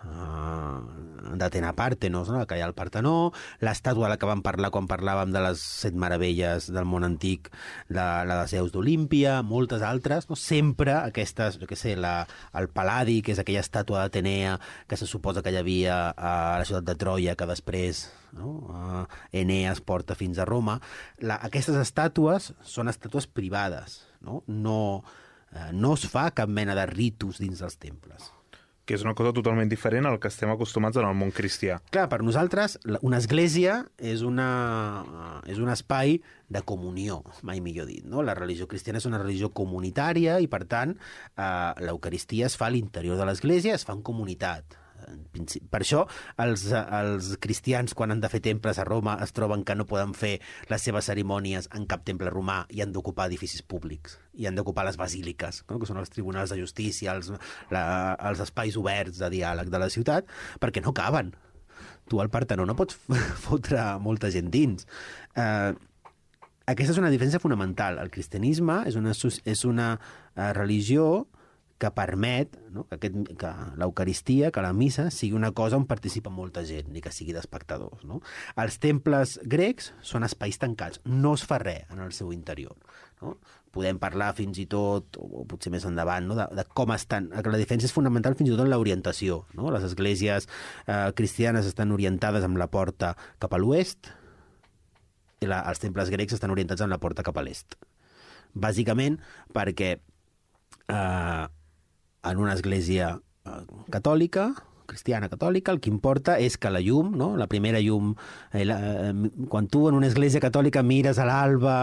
uh, d'Atena Pàrtenos, no? Que hi ha al Partenó, l'estàtua de la que vam parlar quan parlàvem de les set meravelles del món antic, la, la de Zeus d'Olímpia, moltes altres, no? Sempre aquestes, jo què sé, la, el Pal·ladi, que és aquella estàtua d'Atenea que se suposa que hi havia a la ciutat de Troia, que després no? uh, Eneas porta fins a Roma. La, aquestes estàtues són estàtues privades, no? No... no es fa cap mena de ritus dins dels temples. Que és una cosa totalment diferent al que estem acostumats en el món cristià. Clar, per nosaltres, una església és, una, és un espai de comunió, mai millor dit. No? La religió cristiana és una religió comunitària i, per tant, eh, l'Eucaristia es fa a l'interior de l'església, es fa en comunitat. Per això els, els cristians, quan han de fer temples a Roma, es troben que no poden fer les seves cerimònies en cap temple romà i han d'ocupar edificis públics, i han d'ocupar les basíliques, no? Que són els tribunals de justícia, els, la, els espais oberts de diàleg de la ciutat, perquè no caben. Tu al Partenó no pots fotre molta gent dins. Eh, aquesta és una diferència fonamental. El cristianisme és una, és una uh, religió que permet no? que, aquest, que l'Eucaristia, que la missa, sigui una cosa on participa molta gent, ni que sigui d'espectadors. No? Els temples grecs són espais tancats, no es fa res en el seu interior. No? Podem parlar fins i tot, o potser més endavant, no? de, de com estan. La diferència és fonamental fins i tot en l'orientació. No? Les esglésies eh, cristianes estan orientades amb la porta cap a l'oest i la, els temples grecs estan orientats amb la porta cap a l'est. Bàsicament perquè eh, en una església eh, catòlica, cristiana catòlica, el que importa és que la llum, no? La primera llum, eh, la, eh, quan tu en una església catòlica mires a l'alba,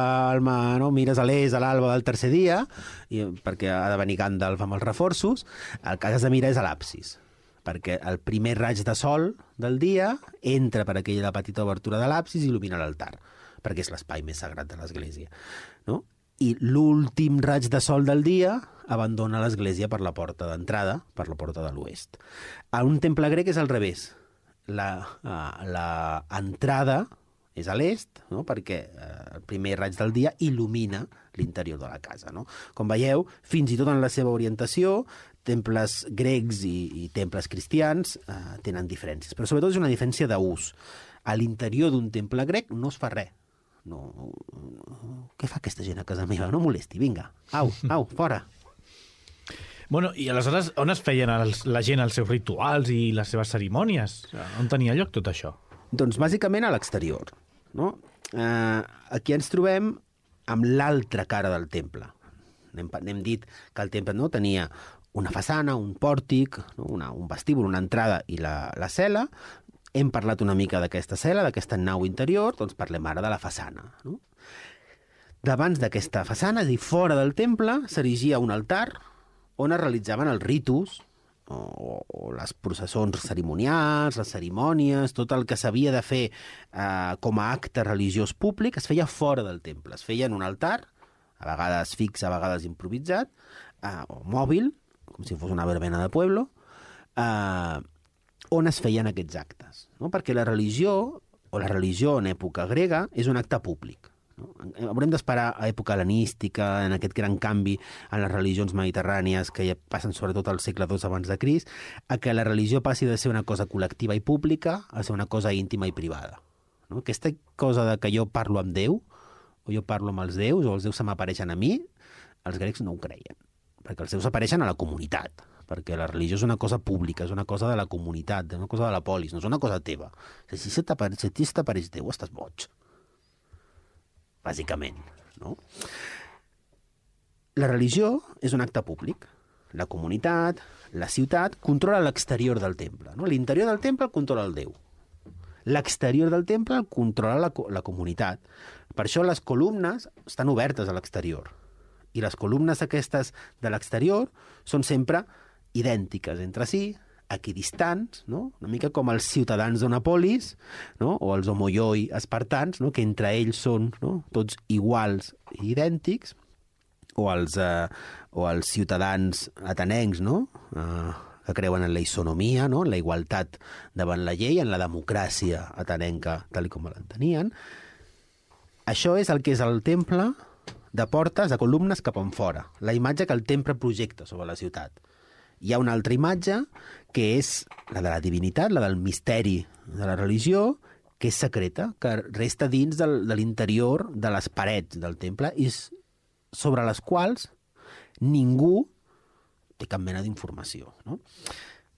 no? Mires a l'est, a l'alba del tercer dia, i, perquè ha de venir Gandalf amb els reforços, el que has de mirar és a l'absis, perquè el primer raig de sol del dia entra per aquella petita obertura de l'absis i il·lumina l'altar, perquè és l'espai més sagrat de l'església, no? I l'últim raig de sol del dia abandona l'església per la porta d'entrada, per la porta de l'oest. A un temple grec és al revés. La, uh, la entrada és a l'est, no? Perquè uh, el primer raig del dia il·lumina l'interior de la casa. No? Com veieu, fins i tot en la seva orientació, temples grecs i, i temples cristians uh, tenen diferències, però sobretot és una diferència d'ús. A l'interior d'un temple grec no es fa res. No, no, què fa aquesta gent a casa meva? No molesti, vinga, au, au, fora. Bueno, i aleshores on es feien els, la gent els seus rituals i les seves cerimònies? On tenia lloc tot això? Doncs bàsicament a l'exterior. No? Eh, aquí ens trobem amb l'altra cara del temple. N'hem, n'hem dit que el temple no tenia una façana, un pòrtic, no? una, un vestíbul, una entrada i la, la cel·la. Hem parlat una mica d'aquesta cel·la, d'aquesta nau interior, doncs parlem ara de la façana. No? Davant d'aquesta façana, és a dir, fora del temple, s'erigia un altar on es realitzaven els ritus, o, o les processons cerimonials, les cerimònies, tot el que s'havia de fer eh, com a acte religiós públic, es feia fora del temple. Es feia en un altar, a vegades fix, a vegades improvisat, eh, o mòbil, com si fos una verbena de pueblo, eh, on es feien aquests actes. No? Perquè la religió, o la religió en època grega, és un acte públic. No? Haurem d'esperar a època hel·lenística, en aquest gran canvi en les religions mediterrànies que ja passen sobretot al segle dos abans de Crist, a que la religió passi de ser una cosa col·lectiva i pública a ser una cosa íntima i privada. No? Aquesta cosa de que jo parlo amb Déu, o jo parlo amb els déus, o els déus se m'apareixen a mi, els grecs no ho creien, perquè els déus apareixen a la comunitat, perquè la religió és una cosa pública, és una cosa de la comunitat, és una cosa de la polis, no és una cosa teva. Si se t'apareix, si t'apareix Déu, estàs boig. Bàsicament, no? La religió és un acte públic. La comunitat, la ciutat, controla l'exterior del temple. No? L'interior del temple el controla el Déu. l'exterior del temple el controla la, la comunitat. Per això les columnes estan obertes a l'exterior. I les columnes aquestes de l'exterior són sempre idèntiques entre si, equidistants, no? Una mica com els ciutadans d'una polis, no? O els homoioi espartans, no? Que entre ells són, no? Tots iguals i idèntics, o els, eh, o els ciutadans atenencs, no? Eh, que creuen en la isonomia, no? En la igualtat davant la llei, en la democràcia atenenca, tal com l'entenien. Això és el que és el temple de portes, de columnes cap enfora, la imatge que el temple projecta sobre la ciutat. Hi ha una altra imatge, que és la de la divinitat, la del misteri de la religió, que és secreta, que resta dins del, de l'interior de les parets del temple i sobre les quals ningú té cap mena d'informació, no?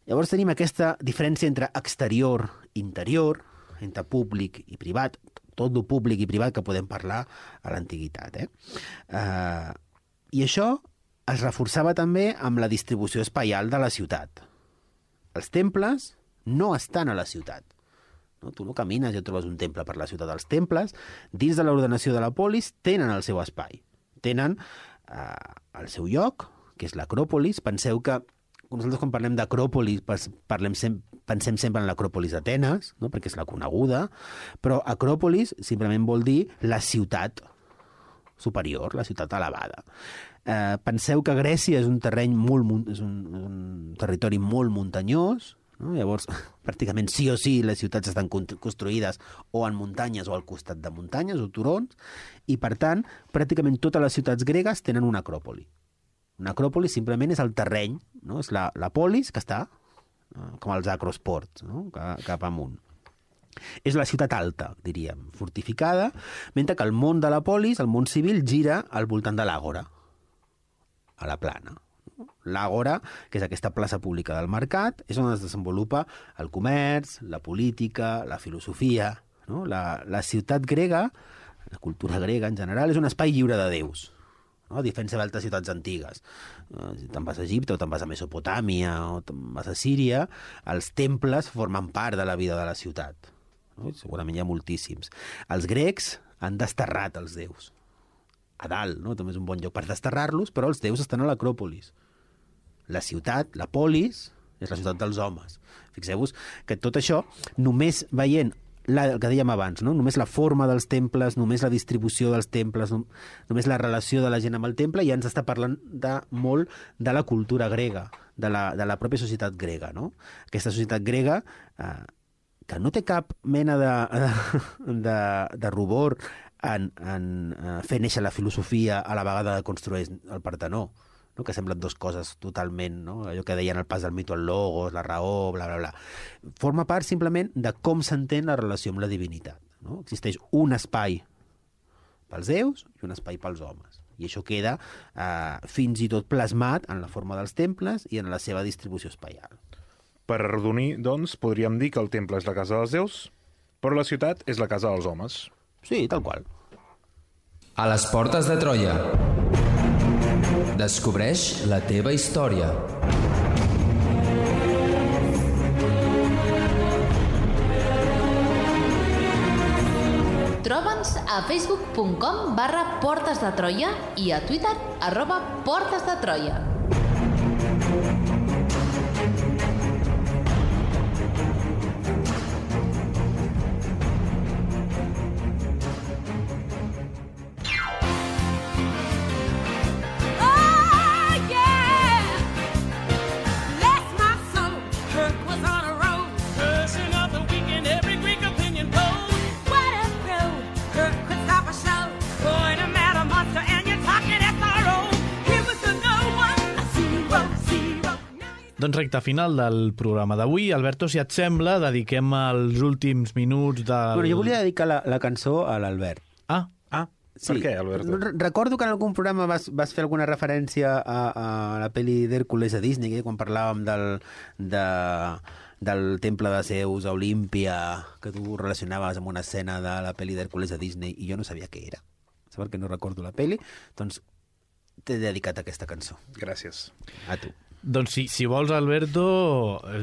Llavors tenim aquesta diferència entre exterior i interior, entre públic i privat, tot el públic i privat que podem parlar a l'antiguitat. Eh? Uh, I això es reforçava també amb la distribució espaial de la ciutat. Els temples no estan a la ciutat. No? Tu no camines i et trobes un temple per la ciutat. Els temples, dins de l'ordenació de la polis, tenen el seu espai. Tenen eh, el seu lloc, que és l'acròpolis. Penseu que nosaltres quan parlem d'acròpolis parlem sem pensem sempre en l'acròpolis d'Atenes, no? Perquè és la coneguda, però acròpolis simplement vol dir la ciutat superior, la ciutat elevada. Eh, penseu que Grècia és un terreny molt, és un, un territori molt muntanyós, no? Llavors, pràcticament sí o sí les ciutats estan construïdes o en muntanyes o al costat de muntanyes o turons, i per tant, pràcticament totes les ciutats gregues tenen una acròpoli. Una acròpoli simplement és el terreny, no? És la, la polis que està, eh, com els acrosports, no? Cap, cap amunt. És la ciutat alta, diríem, fortificada, mentre que el món de la polis, el món civil, gira al voltant de l'àgora, a la plana. L'àgora, que és aquesta plaça pública del mercat, és on es desenvolupa el comerç, la política, la filosofia. No? La, la ciutat grega, la cultura grega en general, és un espai lliure de déus, no? A diferència d'altres ciutats antigues. Si te'n vas a Egipte o te'n vas a Mesopotàmia o te'n vas a Síria, els temples formen part de la vida de la ciutat. No? Segurament hi ha moltíssims. Els grecs han desterrat els déus. A dalt, no? També és un bon lloc per desterrar-los, però els déus estan a l'acròpolis. La ciutat, la polis, és la ciutat dels homes. Fixeu-vos que tot això, només veient la, el que dèiem abans, no? Només la forma dels temples, només la distribució dels temples, no? Només la relació de la gent amb el temple, ja ens està parlant de, molt de la cultura grega, de la, de la pròpia societat grega. No? Aquesta societat grega, eh, que no té cap mena de, de, de, de rubor en, en uh, fer néixer la filosofia a la vegada que construeix el Partenó, no? Que semblen dues coses totalment, no? Allò que deien el pas del mito al logos, la raó, bla, bla, bla. Forma part simplement de com s'entén la relació amb la divinitat. No? Existeix un espai pels déus i un espai pels homes. I això queda uh, fins i tot plasmat en la forma dels temples i en la seva distribució espaial. Per arrodonir, doncs, podríem dir que el temple és la casa dels déus, però la ciutat és la casa dels homes. Sí, tal qual. A les portes de Troia. Descobreix la teva història. Troba'ns a facebook punt com barra Portes de Troia i a Twitter arroba Portes de Troia. Doncs recte final del programa d'avui. Alberto, si et sembla, dediquem els últims minuts del... Bueno, jo volia dedicar la, la cançó a l'Albert. Ah, ah, sí. Per què, Alberto? Recordo que en algun programa vas, vas fer alguna referència a, a la pel·li d'Hèrcules a Disney, quan parlàvem del, de, del temple de Zeus a Olímpia, que tu relacionaves amb una escena de la pel·li d'Hèrcules a Disney, i jo no sabia què era. Saber que no recordo la pel·li, doncs t'he dedicat aquesta cançó. Gràcies. A tu. Doncs si, si vols, Alberto,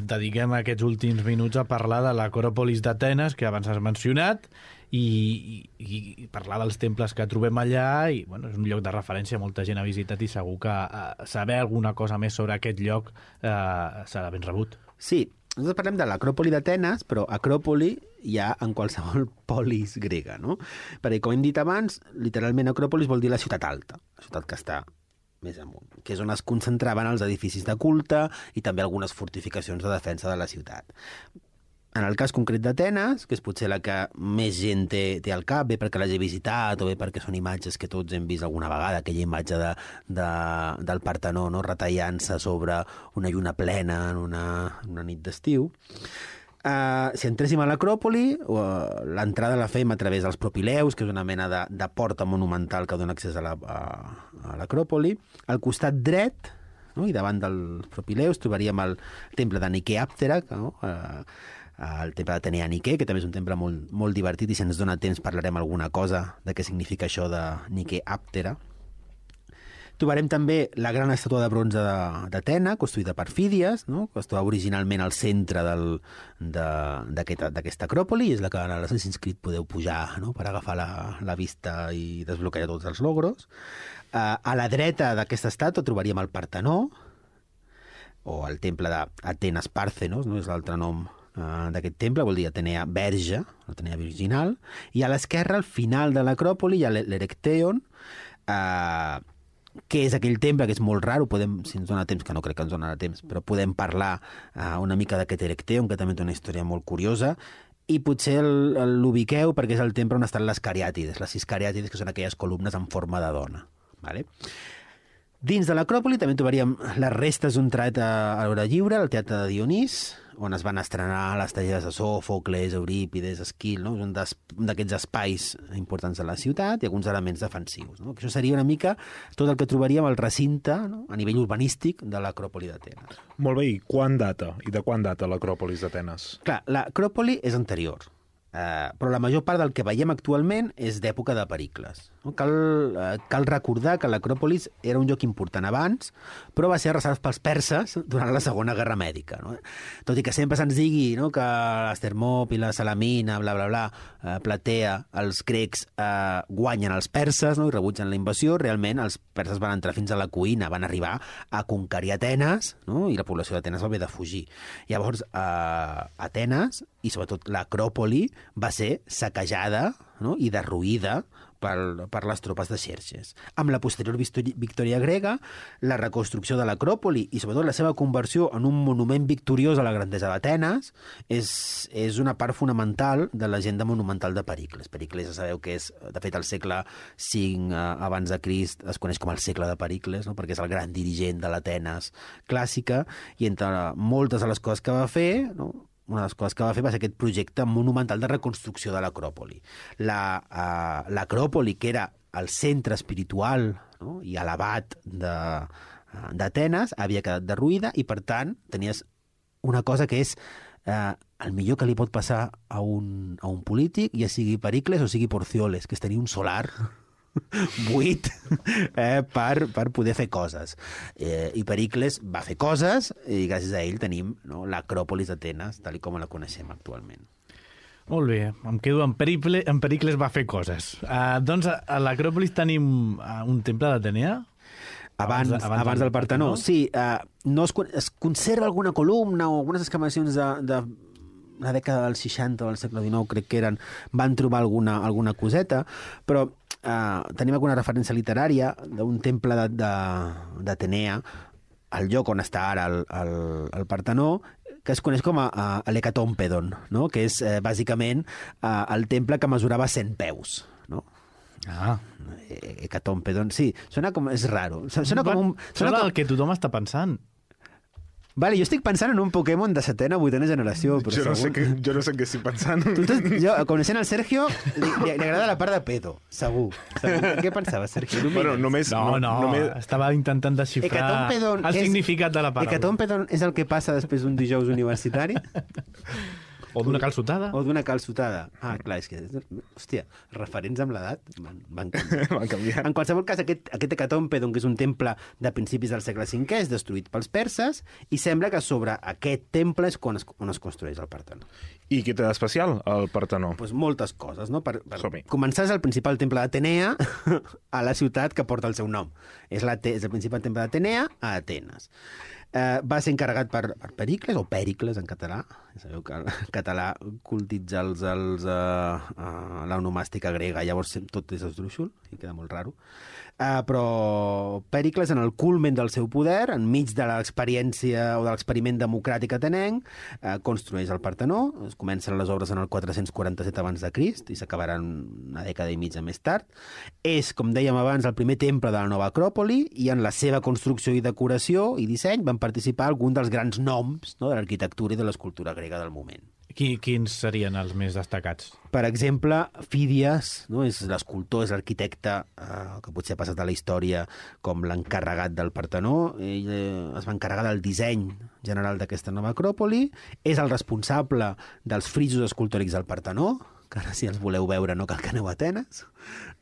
dediquem aquests últims minuts a parlar de l'Acròpolis d'Atenes, que abans has mencionat, i, i, i parlar dels temples que trobem allà, i bueno, és un lloc de referència, molta gent ha visitat i segur que eh, saber alguna cosa més sobre aquest lloc eh, serà ben rebut. Sí, nosaltres parlem de l'Acròpoli d'Atenes, però Acròpoli hi ha en qualsevol polis grega, no? Perquè, com hem dit abans, literalment Acròpolis vol dir la ciutat alta, la ciutat que està més amunt, que és on es concentraven els edificis de culte i també algunes fortificacions de defensa de la ciutat. En el cas concret d'Atenes, que és potser la que més gent té, té al cap, bé perquè l'hagi visitat o bé perquè són imatges que tots hem vist alguna vegada, aquella imatge de, de, del Partenó, no? Retallant-se sobre una lluna plena en una, una nit d'estiu. Uh, si entréssim a l'Acròpoli, uh, l'entrada la fem a través dels Propileus, que és una mena de, de porta monumental que dona accés a l'Acròpoli. Al costat dret, no? I davant dels Propileus, trobaríem el temple de Niké-Àptera, no? uh, el temple d'Atenea Niké, que també és un temple molt, molt divertit, i si ens dona temps parlarem alguna cosa de què significa això de Niké-Àptera. Trobarem també la gran estàtua de bronze d'Atena, construïda per Fídies, no? Que es troba originalment al centre d'aquesta aquest, Acròpoli, i és la que a l'Assassin's Creed podeu pujar, no? Per agafar la, la vista i desbloquejar tots els logros. Uh, a la dreta d'aquesta estàtua trobaríem el Partenó, o el temple d'Atenes Pàrthenos, no? És l'altre nom uh, d'aquest temple, vol dir Atenea Verge, Atenea Virginal, i a l'esquerra, al final de l'Acròpoli, hi ha l'Erecteion, uh, que és aquell temple que és molt raro, podem, si ens dona temps, que no crec que ens donarà temps, però podem parlar uh, una mica d'aquest Erecteion, que també té una història molt curiosa, i potser l'ubiqueu perquè és el temple on estan les cariàtides, les sis cariàtides, que són aquelles columnes en forma de dona. Vale? Dins de l'Acròpoli també trobaríem les restes d'un teatre a l'hora lliure, el teatre de Dionís, on es van estrenar les tragèdies de Sòfocles, Eurípides, Esquil, no? Un d'aquests espais importants de la ciutat i alguns elements defensius. No? Això seria una mica tot el que trobaríem al recinte, no? A nivell urbanístic de l'Acròpoli d'Atenes. Molt bé, i quan data? I de quan data l'Acròpolis d'Atenes? Clar, l'Acròpoli és anterior, eh, però la major part del que veiem actualment és d'època de Pericles. No? Cal, eh, cal recordar que l'Acròpolis era un lloc important abans, però va ser arrasat pels perses durant la Segona Guerra Mèdica. No? Tot i que sempre se'ns digui, no, que les Termòpila, Salamina, bla, bla, bla, eh, Platea, els grecs eh, guanyen els perses, no, i rebutgen la invasió, realment els perses van entrar fins a la cuina, van arribar a conquerir Atenes, no? I la població d'Atenes va haver de fugir. Llavors, eh, Atenes, i sobretot l'Acròpoli, va ser saquejada, no? I derruïda per, per les tropes de Xerxes. Amb la posterior victòria grega, la reconstrucció de l'Acròpoli i sobretot la seva conversió en un monument victoriós a la grandesa d'Atenes és, és una part fonamental de l'agenda monumental de Pericles. Pericles, ja sabeu que és, de fet, el segle cinc eh, abans de Crist es coneix com el segle de Pericles, no? Perquè és el gran dirigent de l'Atenes clàssica, i entre moltes de les coses que va fer, no? Una de les coses que va fer va ser aquest projecte monumental de reconstrucció de l'Acròpoli. L'Acròpoli, que era el centre espiritual, no? I elevat d'Atenes, havia quedat derruïda i, per tant, tenies una cosa que és eh, el millor que li pot passar a un, a un polític, ja sigui Pericles o sigui Porcioles, que és tenir un solar buit eh, per, per poder fer coses. Eh, I Pericles va fer coses i gràcies a ell tenim, no, l'Acròpolis d'Atenes, tal com la coneixem actualment. Molt bé, em quedo en, Periple, en Pericles va fer coses. Uh, doncs a, a l'Acròpolis tenim uh, un temple d'Atenea? Abans, abans, abans del Partenó. Sí, uh, no es, es conserva alguna columna o algunes excavacions de, de la dècada dels seixanta o del segle dinou, crec que eren, van trobar alguna, alguna coseta, però Uh, tenim alguna referència literària d'un temple d'Atenea, al lloc on està ara el, el, el Partenó, que es coneix com a, a l'Hecatòmpedon, no? Que és eh, bàsicament uh, el temple que mesurava cent peus. No? Ah. Hecatòmpedon, sí, sona com... és raro. Sona com un... Sona, sona com... el que tothom està pensant. Vale, jo estic pensant en un Pokémon de setena o vuitena generació. Però jo, no segur... sé que, jo no sé què estic pensant. Tu, jo, coneixent el Sergio, li, li, li agrada la part de pedo, segur. segur. Què pensaves, Sergio? Bueno, només, no, no, només... estava intentant desxifrar el és, significat de la paraula. Hecatòmpedon és el que passa després d'un dijous universitari? O d'una calçotada. O d'una calçotada. Ah, clar, és que... Hòstia, referents amb l'edat van, van canviar. Van canviar. En qualsevol cas, aquest, aquest hecatombe, doncs, és un temple de principis del segle cinquè, és destruït pels perses, i sembla que sobre aquest temple és on es, on es construeix el Partenó. I què té d'especial, el Partenó? Pues moltes coses, no? Per, per Som-hi. començar, és el principal temple d'Atenea a la ciutat que porta el seu nom. És, la, és el principal temple d'Atenea a Atenes. Eh, va ser encarregat per, per Pericles, o Pèricles en català. Ja sabeu que en català cultitza els, els, uh, uh, l'onomàstica grega, llavors tot és esdrúixol, i queda molt raro. Uh, però Pèricles, en el culmen del seu poder, enmig de l'experiència o de l'experiment democràtic atenenc, uh, construeix el Partenó. Es comencen les obres en el quatre-cents quaranta-set abans de Crist i s'acabaran una dècada i mitja més tard. És, com dèiem abans, el primer temple de la nova Acròpoli, i en la seva construcció i decoració i disseny van participar alguns dels grans noms, no?, de l'arquitectura i de l'escultura grega del moment. Qui, quins serien els més destacats? Per exemple, Fídies, no? És l'escultor, és l'arquitecte eh, que potser ha passat a la història com l'encarregat del Partenó. Ell eh, es va encarregar del disseny general d'aquesta nova Acròpoli, és el responsable dels frisos escultòrics del Partenó, que ara si els voleu veure no cal que aneu a Atenes,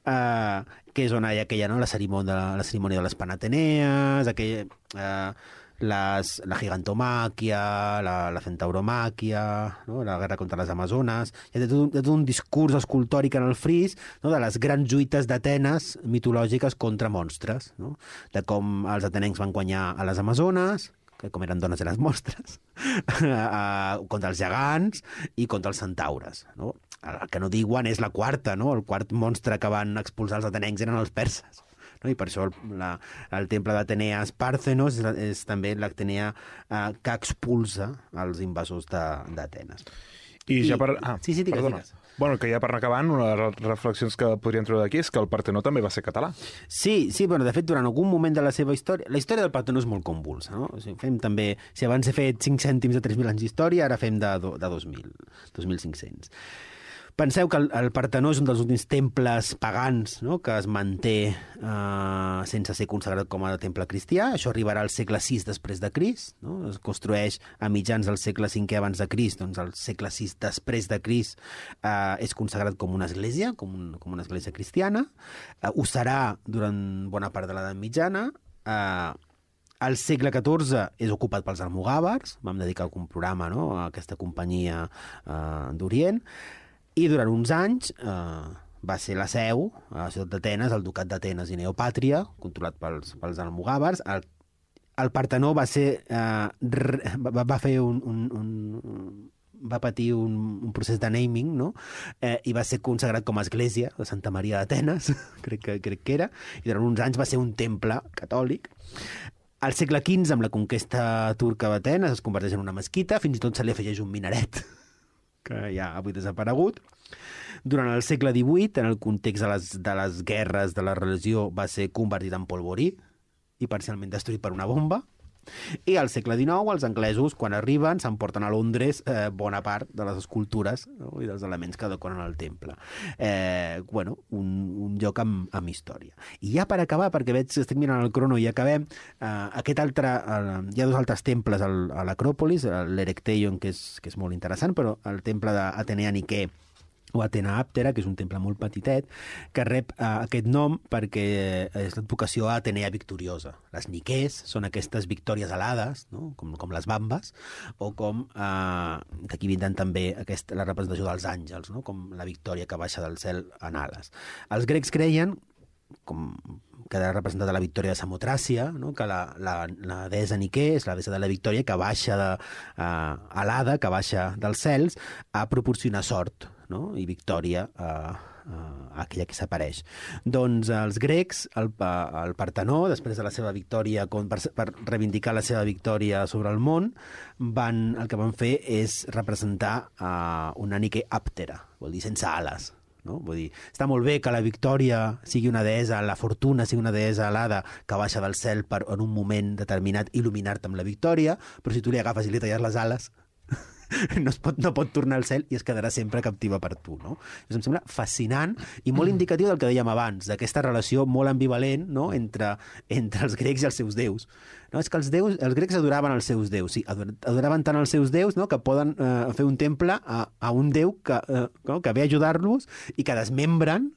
eh, que és on hi ha aquella, no?, la cerimònia, la cerimònia de les Panatenees, aquella... Eh, Les, la gigantomàquia, la, la centauromàquia, no?, la guerra contra les Amazones. Hi ha tot un, tot un discurs escultòric en el fris, no?, de les grans lluites d'Atenes mitològiques contra monstres, no?, de com els atenencs van guanyar a les Amazones, que com eren dones eren els monstres, contra els gegants i contra els centaures, no? El que no diuen és la quarta, no?, el quart monstre que van expulsar els atenencs eren els perses. No? I per això el, la, el temple d'Atenea Esparthenos és, és també l'Atenea eh, que expulsa els invasors d'Atenes. I, I ja per... Ah, sí, sí, digues, perdona. digues. Bueno, que ja per anar acabant, una de les reflexions que podríem treure d'aquí és que el Partenó també va ser català. Sí, sí, bueno, de fet, durant algun moment de la seva història... La història del Partenó és molt convulsa, no? O sigui, fem també... Si abans he fet cinc cèntims de tres mil anys d'història, ara fem de, de dos mil, dos mil cinc-cents. Penseu que el, el Partenó és un dels últims temples pagans, no?, que es manté eh, sense ser consagrat com a temple cristià. Això arribarà al segle sis després de Crist, no? Es construeix a mitjans del segle cinquè abans de Crist, doncs al segle sis després de Crist eh, és consagrat com una església, com, un, com una església cristiana. Eh, ho serà durant bona part de l'edat mitjana. Eh, Al segle catorze és ocupat pels almogàvers, vam dedicar algun programa, no?, a aquesta companyia eh, d'Orient, i durant uns anys eh, va ser la seu, a la ciutat d'Atenes, el ducat d'Atenes i Neopàtria, controlat pels, pels almogàvers. El, el Partenó va ser... Eh, re, va, va fer un... un, un va patir un, un procés de naming, no?, eh, i va ser consagrat com a església de Santa Maria d'Atenes, crec, que, crec que era, i durant uns anys va ser un temple catòlic. Al segle quinze, amb la conquesta turca d'Atenes, es converteix en una mesquita, fins i tot se li afegeix un minaret, que ja ha avui desaparegut. Durant el segle divuit, en el context de les, de les guerres de la religió, va ser convertit en polvorí i parcialment destruït per una bomba. I al segle dinou, els anglesos, quan arriben, s'emporten a Londres eh, bona part de les escultures, no?, i dels elements que decoren el temple. Eh, bueno, un, un lloc amb, amb història. I ja per acabar, perquè veig que estic mirant el crono i acabem, eh, aquest altre, eh, hi ha dos altres temples al, a l'Acròpolis, l'Erecteion, que, és, que és molt interessant, però el temple d'Atenea Niqué, o Atena Àptera, que és un temple molt petitet, que rep eh, aquest nom perquè és l'advocació a Atenea victoriosa. Les Niqués són aquestes victòries alades, no?, com, com les bambes, o com, eh, d'aquí vindran també aquesta, la representació dels àngels, no?, com la victòria que baixa del cel en ales. Els grecs creien, com queda representada la victòria de Samotràcia, no?, que la, la, la deessa Niqué és la deessa de la victòria que baixa de, uh, alada, que baixa dels cels a proporcionar sort, no?, i victòria a, a, a aquella que s'apareix. Doncs els grecs, el, el Partenó, després de la seva victòria, per, per reivindicar la seva victòria sobre el món, van, el que van fer és representar uh, una Niqué àptera, vol dir sense ales. No? Vull dir, està molt bé que la victòria sigui una deessa, la fortuna sigui una deessa alada que baixa del cel per en un moment determinat il·luminar-te amb la victòria, però si tu li agafes i li talles les ales no, es pot, no pot tornar al cel i es quedarà sempre captiva per tu, no? Això em sembla fascinant i molt indicatiu del que dèiem abans, d'aquesta relació molt ambivalent, no?, entre, entre els grecs i els seus déus. No, és que els, déus, els grecs adoraven els seus déus, sí, adoraven tant els seus déus, no?, que poden eh, fer un temple a, a un déu que, eh, no?, que ve a ajudar-los i que desmembren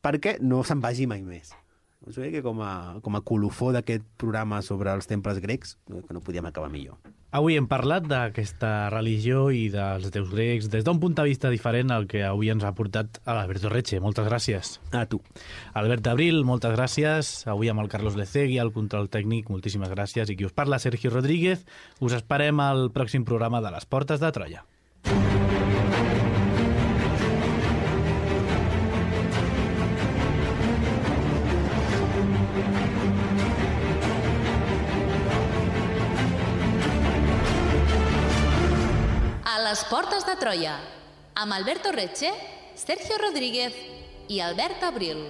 perquè no se'n vagi mai més. Us veig que com a, com a colofó d'aquest programa sobre els temples grecs, que no podíem acabar millor. Avui hem parlat d'aquesta religió i dels déus grecs des d'un punt de vista diferent al que avui ens ha portat a l'Alberto Reche. Moltes gràcies. A tu. Albert Abril, moltes gràcies. Avui amb el Carlos Lecegui, al control tècnic, moltíssimes gràcies. I qui us parla, Sergio Rodríguez. Us esperem al pròxim programa de les Portes de Troia. A les Portes de Troia, amb Alberto Reche, Sergio Rodríguez i Albert Abril.